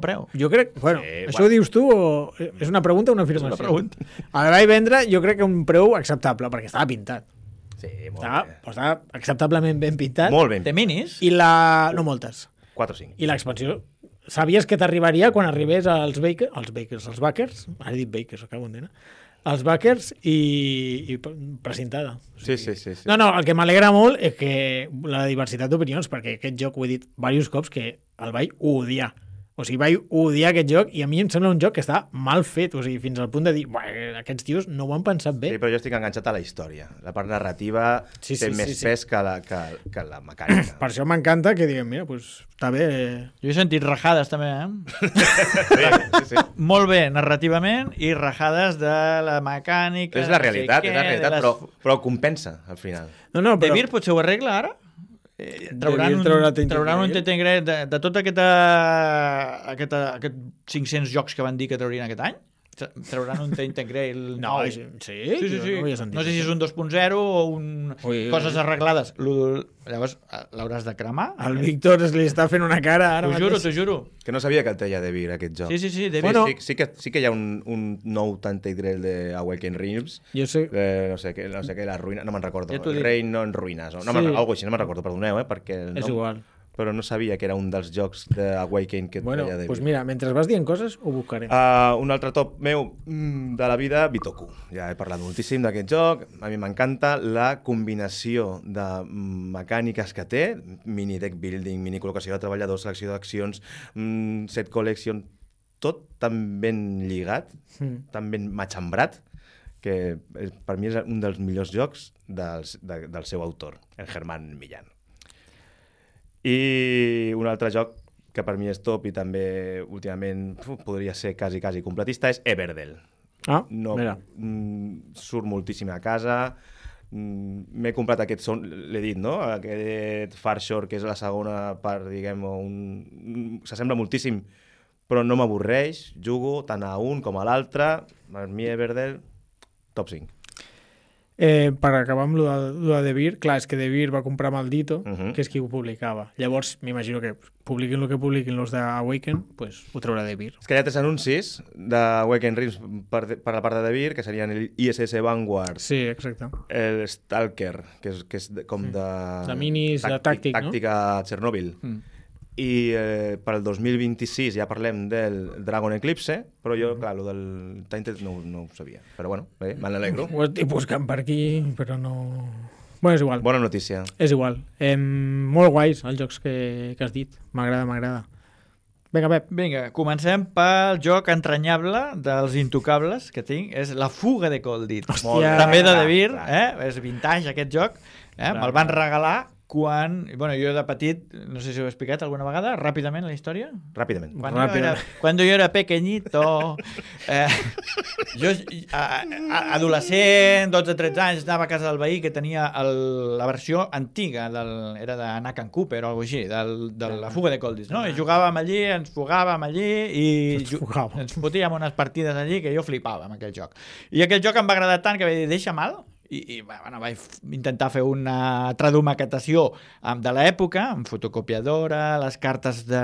preu. Jo crec... Això ho dius tu o... És una pregunta o una afirmació? És una pregunta. El vaig vendre jo crec que un preu acceptable, perquè estava pintat. Sí, molt bé. Estava acceptablement ben pintat. Molt ben. Té minis? No moltes. 4 o 5. I l'expansió... Sabies que t'arribaria quan arribés als backers, ara he dit bakers, acabo d'entendre, els backers i precintada. Sí. No, el que m'alegra molt és que la diversitat d'opinions, perquè aquest joc ho he dit diversos cops que el vaig odiar. O sigui, vaig odiar aquest joc i a mi em sembla un joc que està mal fet, o sigui, fins al punt de dir, aquests tios no ho han pensat bé. Sí, però jo estic enganxat a la història. La part narrativa té més pes que la mecànica. Per això m'encanta que diguem, mira, està bé. Jo he sentit rajades també, Sí. Molt bé, narrativament, i rajades de la mecànica... És la realitat, però compensa, al final. No, però... De Vir potser ho arregla ara? Trauran un Tainted de tot aquests 500 jocs que van dir que traurien aquest any? Trauran un Tainted Grail nou? Sí. No sé si és un 2.0 o coses arreglades. Llavors l'hauràs de cremar. El Víctor li està fent una cara ara. T'ho juro. Que no sabia que el teia de Vir, aquest joc. Sí, de Vir. Sí que hi ha un nou Tainted Grail de Awakened Realms. Jo sé. No sé què, la ruïna, no me'n recordo. El reino en ruïnes. Algo així, no me'n recordo, perdoneu, perquè... És igual. Però no sabia que era un dels jocs d'Awaken que et deia de Vir. Doncs mira, mentre vas dient coses, ho buscarem. Un altre top meu de la vida, Bitoku. Ja he parlat moltíssim d'aquest joc. A mi m'encanta la combinació de mecàniques que té, mini deck building, mini col·locació de treballadors, selecció d'accions, set collection, tot tan ben lligat, tan ben matxembrat, que per mi és un dels millors jocs del seu autor, el Germán Millán. I un altre joc que per mi és top i també últimament podria ser quasi completista és Everdell. Mira. Surt moltíssim a casa, m'he comprat aquest, l'he dit, no? Aquest Far Shore, que és la segona part, diguem, s'assembla moltíssim, però no m'avorreix, jugo tant a un com a l'altre, per mi Everdell, top 5. Per acabar amb lo de De Beer, clar, és que De Beer va comprar Maldito, que és qui ho publicava. Llavors, m'imagino que publiquin el que publiquin els d'Awaken, pues ho traurà De Beer. És que hi ha 3 anuncis d'Awaken Realms per la part de De Beer, que serien el ISS Vanguard, Sí, exacte. el Stalker, que és com de... De minis, de tàctic, no? Tàctica Chernobyl. I per el 2026 ja parlem del Dragon Eclipse, però jo, clar, el del Tainted no ho sabia. Però bueno, bé, me n'alegro. Ho estic buscant per aquí, però no... Bueno, és igual. Bona notícia. És igual. Molt guais els jocs que has dit. M'agrada. Vinga, Pep. Vinga, comencem pel joc entranyable dels intocables que tinc. És La fuga de Coldit. Hòstia. També de De Beer, és vintage aquest joc. Me'l van Clar. regalar quan... Bueno, jo de petit, no sé si ho he explicat alguna vegada, ràpidament la història. Ràpidament. Cuando yo era pequeñito, jo, adolescent, 12-13 anys, anava a casa del veí que tenia la versió antiga, era de Nakan Cooper o alguna cosa així, de la fuga de Coldis, no? I jugàvem allí, ens fugàvem allí i ens fotíem unes partides allí que jo flipava amb aquell joc. I aquell joc em va agradar tant que vaig dir, deixa mal, i bueno, vaig intentar fer una tradumaquetació de l'època, amb fotocopiadora, les cartes de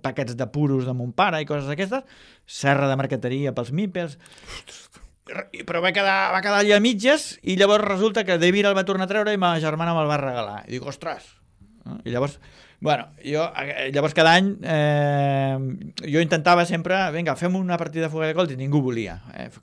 paquets de puros de mon pare i coses d'aquestes, serra de marqueteria pels mípels, però va quedar allà a mitges i llavors resulta que De Beer el va tornar a treure i ma germana me'l va regalar. I dic, ostres! I llavors, bueno, llavors cada any jo intentava sempre, vinga, fem una partida de fuga de Colt i ningú volia.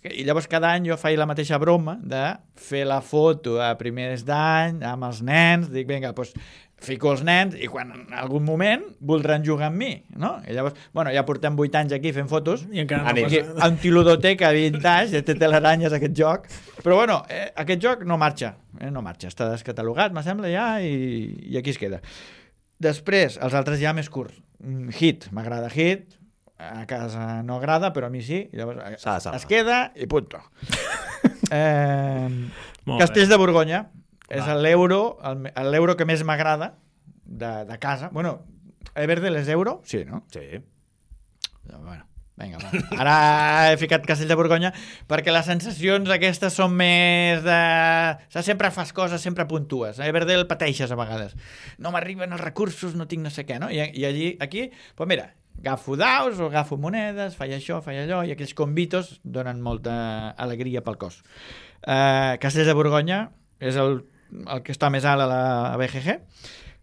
I llavors cada any jo feia la mateixa broma de fer la foto a primers d'any amb els nens, dic, vinga, doncs fico els nens i quan en algun moment voldran jugar amb mi, no? I llavors, bueno, ja portem 8 anys aquí fent fotos, I encara no aquí, antiludoteca vintage, té teleranyes aquest joc, però bueno, aquest joc no marxa, està descatalogat, me sembla ja, i aquí es queda. Després, els altres ja més curts. Hit, m'agrada Hit, a casa no agrada, però a mi sí, llavors es queda i punto. Castells de Borgonya, és l'euro que més m'agrada de casa. Bueno, Everdell és euro? Sí, no? Sí. Bueno, vinga, va. Ara he ficat Castell de Borgonya perquè les sensacions aquestes són més de... Sempre fas coses, sempre puntues. A Everdell pateixes a vegades. No m'arriben els recursos, no tinc no sé què, no? I aquí, doncs mira, agafo daus o agafo monedes, faig això, faig allò, i aquells convitos donen molta alegria pel cos. Castells de Borgonya és el que està més alt a la BGG,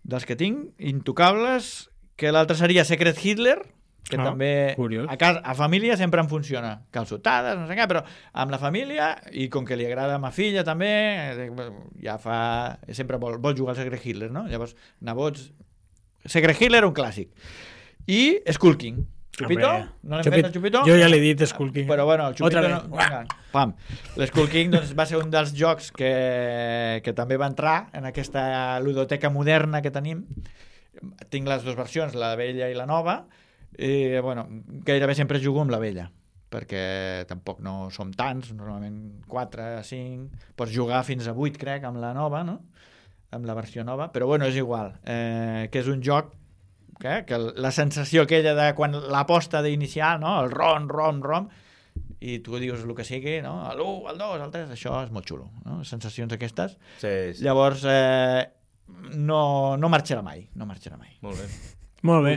dels que tinc, intocables, que l'altre seria Secret Hitler, que també a família sempre em funciona, calçotades, no sé què, però amb la família, i com que li agrada a ma filla també, sempre vol jugar al Secret Hitler, no? Llavors, nebots, Secret Hitler, un clàssic. I Skull King. Chupito? No l'hem fet el Chupito? Jo ja l'he dit, Skull King. Però bueno, el Chupito no... Pam. L'Skull King doncs, va ser un dels jocs que també va entrar en aquesta ludoteca moderna que tenim. Tinc les dues versions, la vella i la nova, i bueno, gairebé sempre jugo amb la vella, perquè tampoc no som tants, normalment 4, 5, pots jugar fins a 8, crec, amb la nova, no? Amb la versió nova, però bueno, és igual, que és un joc que la sensació aquella de quan l'aposta d'inicial, no? El rom, i tu dius el que sigui, no? L'1, el 2, el 3, això és molt xulo, no? Sensacions aquestes. Sí. Llavors, no marxarà mai. Molt bé. Molt bé.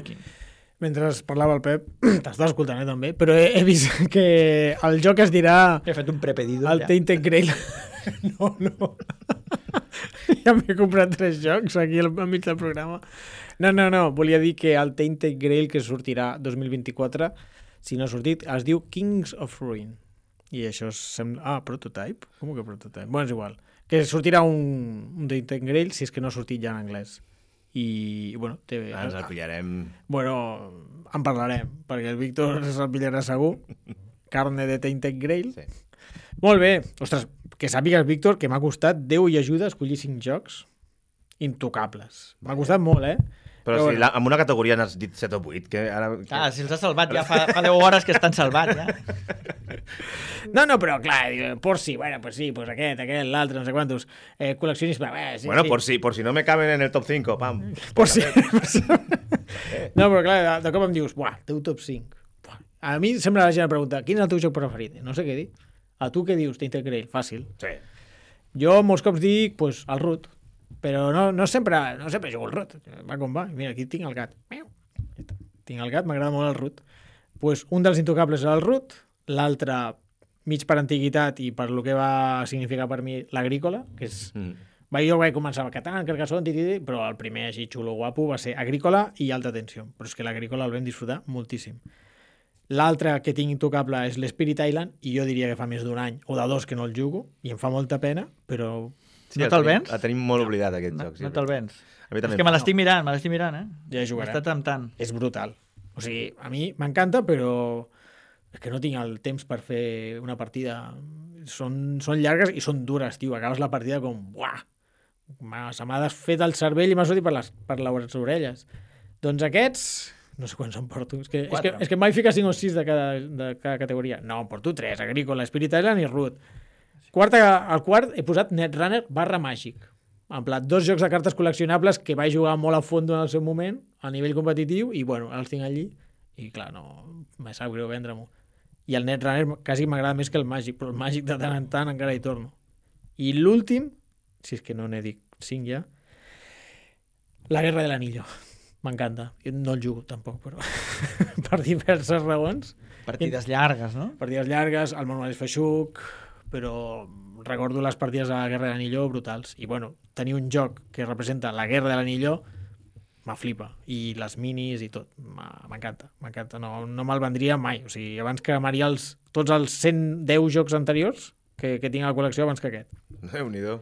Mentre parlava el Pep, t'estava escoltant també, però he vist que el joc es dirà... He fet un prepedido. El Tainted Grail. No. Ja m'he comprat 3 jocs aquí al mig del programa. No. Volia dir que el Tainted Grail que sortirà 2024, si no ha sortit, es diu Kings of Ruin. I això sembla... Prototype? Com que Prototype? Bueno, és igual. Que sortirà un Tainted Grail si és que no ha sortit ja en anglès. I, bueno... Ens el pillarem... Bueno, en parlarem, perquè el Víctor se'l pillarà segur. Carne de Tainted Grail. Sí. Molt bé. Ostres, que sàpigues, Víctor, que m'ha costat 10 i ajuda a escollir 5 jocs intocables. M'ha costat molt, Però si bueno. amb una categoria n'has dit 7 o 8, que ara... Si els has salvat ja fa 10 hores que estan salvats, ja. No, però clar, por si, bueno, pues sí, pues aquest, l'altre, no sé quantos. Col·leccionisme, sí, Bueno, sí. por si no me caben en el top 5, pam. Por si. No, però clar, de cop em dius, buah, teu top 5. Buah. A mi sempre la gent em pregunta, quin és el teu joc preferit? No sé què dir. A tu què dius, t'intercrell? Fàcil. Sí. Jo molts cops dic, pues, el Root. Però no sempre jugo al Root. Va com va. Mira, aquí tinc el gat. Miau. Tinc el gat, m'agrada molt el Root. Pues, un dels intocables és el Root, l'altre mig per antiguitat i per lo que va significar per mi l'Agrícola, que és... Jo vaig començar a Catan, Carcassonne, però el primer així xulo guapo va ser Agrícola i Alta Tensió. Però és que l'Agrícola el vam disfrutar moltíssim. L'altre que tinc intocable és l'Spirit Island i jo diria que fa més d'un any o de 2 que no el jugo i em fa molta pena, però... Sí, no te'l vens? El tenim molt oblidat, aquest joc. Sí, No te'l vens. A mi també. És que me l'estic mirant, Ja jugarà. M'està temptant. És brutal. O sigui, a mi m'encanta, però és que no tinc el temps per fer una partida. Són llargues i són dures, tio. Acabes la partida com... Buah! Se m'ha desfet el cervell i m'ha sortit per les orelles. Doncs aquests... No sé quants em porto. És que em vaig ficar 5 o 6 de cada categoria. No, em porto 3. Agrícola, Spirit Island i Root. Al quart he posat Netrunner /Màgic. En plat, 2 jocs de cartes col·leccionables que vaig jugar molt a fondo en el seu moment, a nivell competitiu, i bueno, els tinc allí. I clar, no, me sap greu vendre-m'ho. I el Netrunner quasi m'agrada més que el Màgic, però el Màgic de tant en tant encara hi torno. I l'últim, si és que no n'he dit 5 ja, La Guerra de l'Anillo. M'encanta. Jo no el jugo tampoc, però per diverses raons. Partides llargues, no? Partides llargues, el manual és feixuc, però recordo les partides de la Guerra de l'Anillo brutals. I bueno, tenir un joc que representa la Guerra de l'Anillo me flipa. I les minis i tot. M'encanta. No me'l vendria mai. O sigui, abans que amaria tots els 110 jocs anteriors que tinc a la col·lecció abans que aquest. Déu-n'hi-do.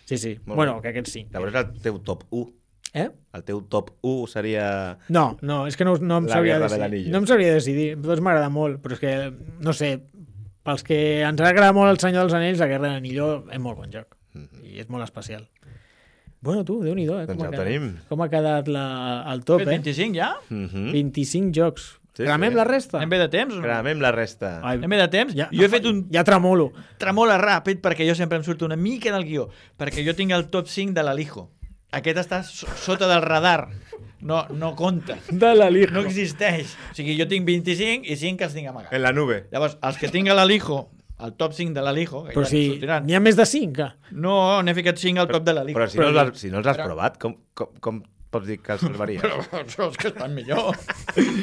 Sí. Molt Bueno, bé. que aquests 5. Llavors el teu top 1. El teu top 1 seria... No, és que no em La sabria Guerra de decidir. l'Anillo. No em sabria decidir. Tots m'agrada molt, però és que, no sé, pels que ens agrada molt el Senyor dels Anells, la Guerra de l'Anillo és molt bon joc. I és molt especial. Bueno, tu, Déu-n'hi-do, Doncs ja ho tenim. Com ha quedat el top, 25 ja? 25 jocs. Sí, Gramem sí. la resta? Anem bé de temps? O no? Gramem la resta. Ai, Anem bé de temps? ja, Jo he fet un Ja tremolo. tremola ràpid perquè jo sempre em surto una mica del guió, perquè jo tinc el top 5 de l'Alijo. Aquest està sota del radar. No compta. De l'Alijo. No existeix. O sigui, jo tinc 25 i 5 que els tinc amagats. En la nube. Llavors, els que tinc a l'Alijo, el top 5 de l'Alijo, que Però ja si sortiran. n'hi ha més de 5. No, n'he ficat 5 al top de l'Alijo. Però si no els has provat, com pots dir que els salvaries? Però són els que estan millor.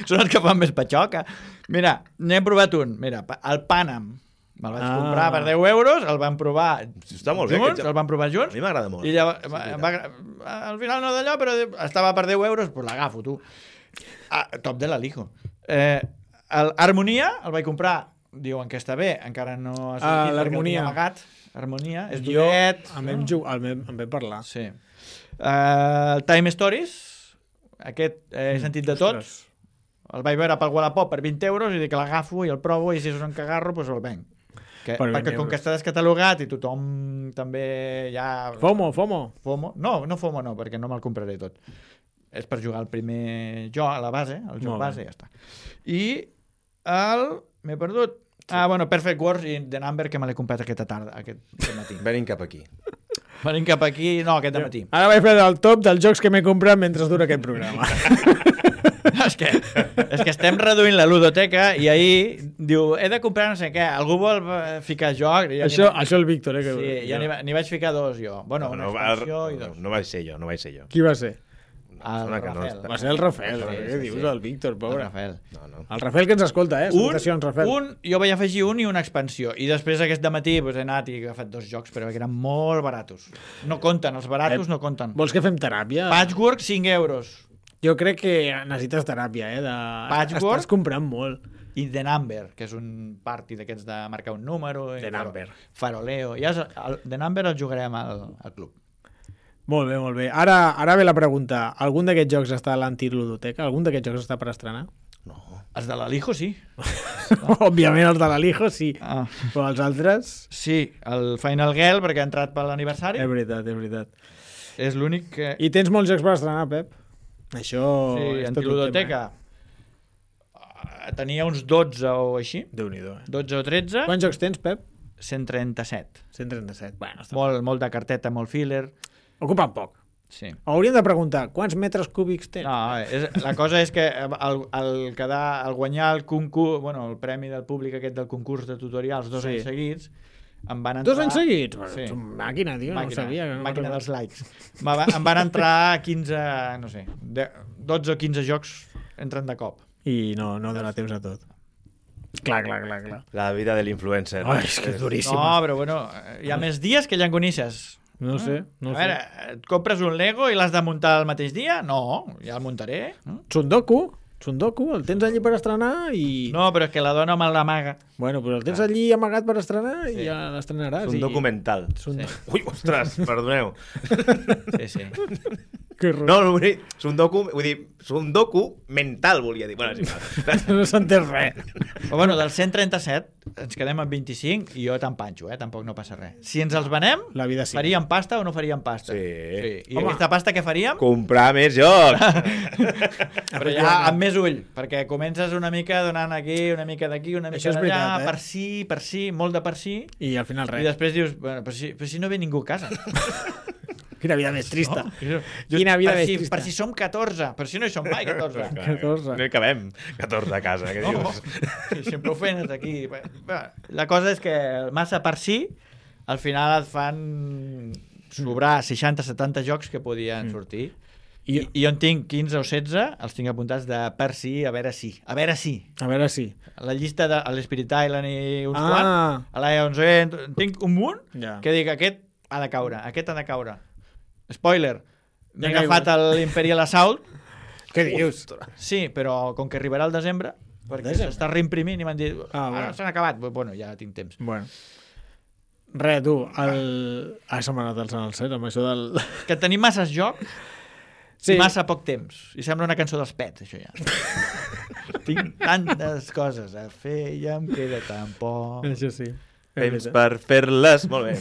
Són els que fan més patxoca. Mira, n'he provat un. Mira, el Panam. Me'l vaig comprar per 10 euros, el vam provar Està molt bé. junts, el vam provar A junts. mi m'agrada molt. I al final no d'allò, però estava per 10 euros, doncs l'agafo, tu. Top de l'Alijo. Harmonia el vaig comprar, diuen que està bé, encara no ha sortit perquè el tinc amagat. Harmonia, és dollet. Em vam parlar. Sí. Time Stories, aquest he sentit de tots. El vaig veure pel Wallapop per 20 euros i dic que l'agafo i el provo i si és un cagarro, doncs el venc. Perquè com que està descatalogat i tothom també ja... FOMO. No FOMO no, perquè no me'l compraré tot. És per jugar el primer joc, a la base, el joc base, i ja està. I m'he perdut. Bueno, Perfect Wars i The Number, que me l'he comprat aquesta tarda, aquest matí. Venim cap aquí. Venim cap aquí, no, aquest matí. Ara vaig fer el top dels jocs que m'he comprat mentre dura aquest programa. És que estem reduint la ludoteca i ahir diu, he de comprar no sé què, algú vol ficar joc? Això el Víctor, que sí, ja n'hi vaig ficar 2 jo. Bueno, una expansió i 2. No vaig ser jo. Qui va ser? El Rafael. Va ser el Rafael, què dius, el Víctor, pobre. El Rafael. El Rafael que ens escolta, salutacions, Rafael. Jo vaig afegir un i una expansió, i després aquest matí he anat i he agafat 2 jocs, però que eren molt baratos. No compten, els baratos no compten. Vols que fem teràpia? Patchwork, 5 euros. Jo crec que necessites teràpia, Patchwork. Estàs comprant molt. I The Number, que és un party d'aquests de marcar un número. The Number. Faroleo. The Number el jugarem al club. Molt bé. Ara ve la pregunta. Algun d'aquests jocs està a l'antiludoteca? Algun d'aquests jocs està per estrenar? No. Els de l'Alijo, sí. Òbviament els de l'Alijo, sí. Però els altres... Sí, el Final Girl, perquè ha entrat per l'aniversari. És veritat. És l'únic que... I tens molts jocs per estrenar, Pep? Això Sí, és tot un antiludoteca. Tenia uns 12 o així. Déu-n'hi-do. 12 o 13. Quants jocs tens, Pep? 137. 137. Bueno, està Molt de carteta, molt filler. Ocupen poc. Sí. Hauríem de preguntar, quants metres cúbics tens? No, la cosa és que el guanyar el concurs, bueno, el premi del públic aquest del concurs de tutorials 2 anys seguits, em van entrar... 2 anys seguits? Sí. Ets un màquina, tio, no ho sabia. Màquina dels likes. Em van entrar 15, no sé, 12 o 15 jocs entren de cop. I no dona temps a tot. Clar. La vida de l'influencer. Ai, és que és duríssima. No, però bueno, hi ha més dies que llangonisses. No sé. A veure, et compres un Lego i l'has de muntar el mateix dia? No, ja el muntaré. Sundoku, el tens allí per estrenar i... No, però és que la dona me l'amaga. Bueno, però el tens allí amagat per estrenar i ja l'estrenaràs. És un documental. Ui, ostres, perdoneu. Sí. No, vull dir, Sundoku mental, volia dir. Bueno, No s'entén res. Però bueno, del 137 ens quedem amb 25 i jo t'empanxo, tampoc no passa res. Si ens els venem, La vida sí. faríem pasta o no faríem pasta? Sí. I aquesta pasta què faríem? Comprar més jocs. Però ja amb més ull, perquè comences una mica donant aquí, una mica d'aquí, una mica Això és d'allà, veritat, per si, molt de per si, I al final i res. després dius, bueno, però si no ve ningú a casa. Quina vida més trista. No? Quina vida per més si, trista. Per si som 14, per si no hi som mai 14. 14. No hi cabem 14 a casa, què dius? Sí, sempre ho feien aquí. La cosa és que massa per si, al final et fan sobrar 60-70 jocs que podien sortir. I jo en tinc 15 o 16, els tinc apuntats de per si, a veure si. A veure si. A veure si. La llista de l'Spirit Island i uns quants, a l'A11, tinc un munt que dic, aquest ha de caure, aquest ha de caure. Spoiler, m'he agafat l'Imperial Assault. Què dius? Sí, però com que arribarà al desembre, perquè s'està reimprimint i m'han dit, ara s'han acabat. Bueno, ja tinc temps. Bueno. Res, tu, se m'ha anat el Sant al cel, amb això del... Que tenim masses jocs i massa poc temps. I sembla una cançó dels Pets, això ja. Tinc tantes coses a fer i em queda tan poc. Això sí. Temps per fer-les molt bé.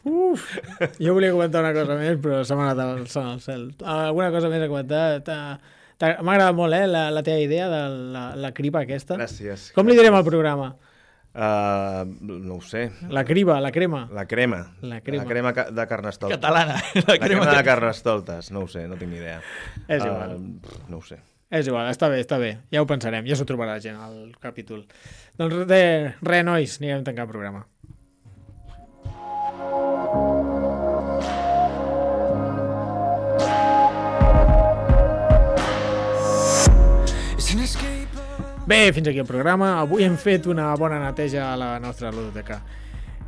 Jo volia comentar una cosa més, però se m'ha anat el Sant al cel. Alguna cosa més a comentar? M'ha agradat molt, la teva idea de la criba aquesta. Gràcies. Com li direm al programa? No ho sé. La criba, la crema. La crema. La crema. La crema de Carnestoltes. Catalana. La crema de Carnestoltes. No ho sé, no tinc ni idea. És igual. No ho sé. És igual, està bé. Ja ho pensarem, ja s'ho trobarà gent al capítol. Doncs res, nois, anirem tancant el programa. Bé, fins aquí el programa. Avui hem fet una bona neteja a la nostra ludoteca.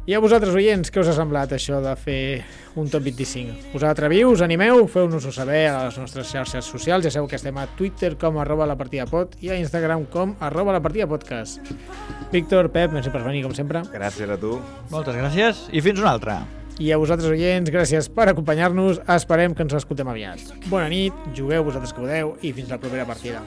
I a vosaltres, oients, què us ha semblat això de fer un top 25? Us atreviu, us animeu? Feu-nos-ho saber a les nostres xarxes socials. Ja sabeu que estem a Twitter com @lapartidapod i a Instagram com @lapartidapodcast. Víctor, Pep, merci per venir, com sempre. Gràcies a tu. Moltes gràcies i fins una altra. I a vosaltres, oients, gràcies per acompanyar-nos. Esperem que ens escoltem aviat. Bona nit, jugueu vosaltres que podeu i fins la propera partida.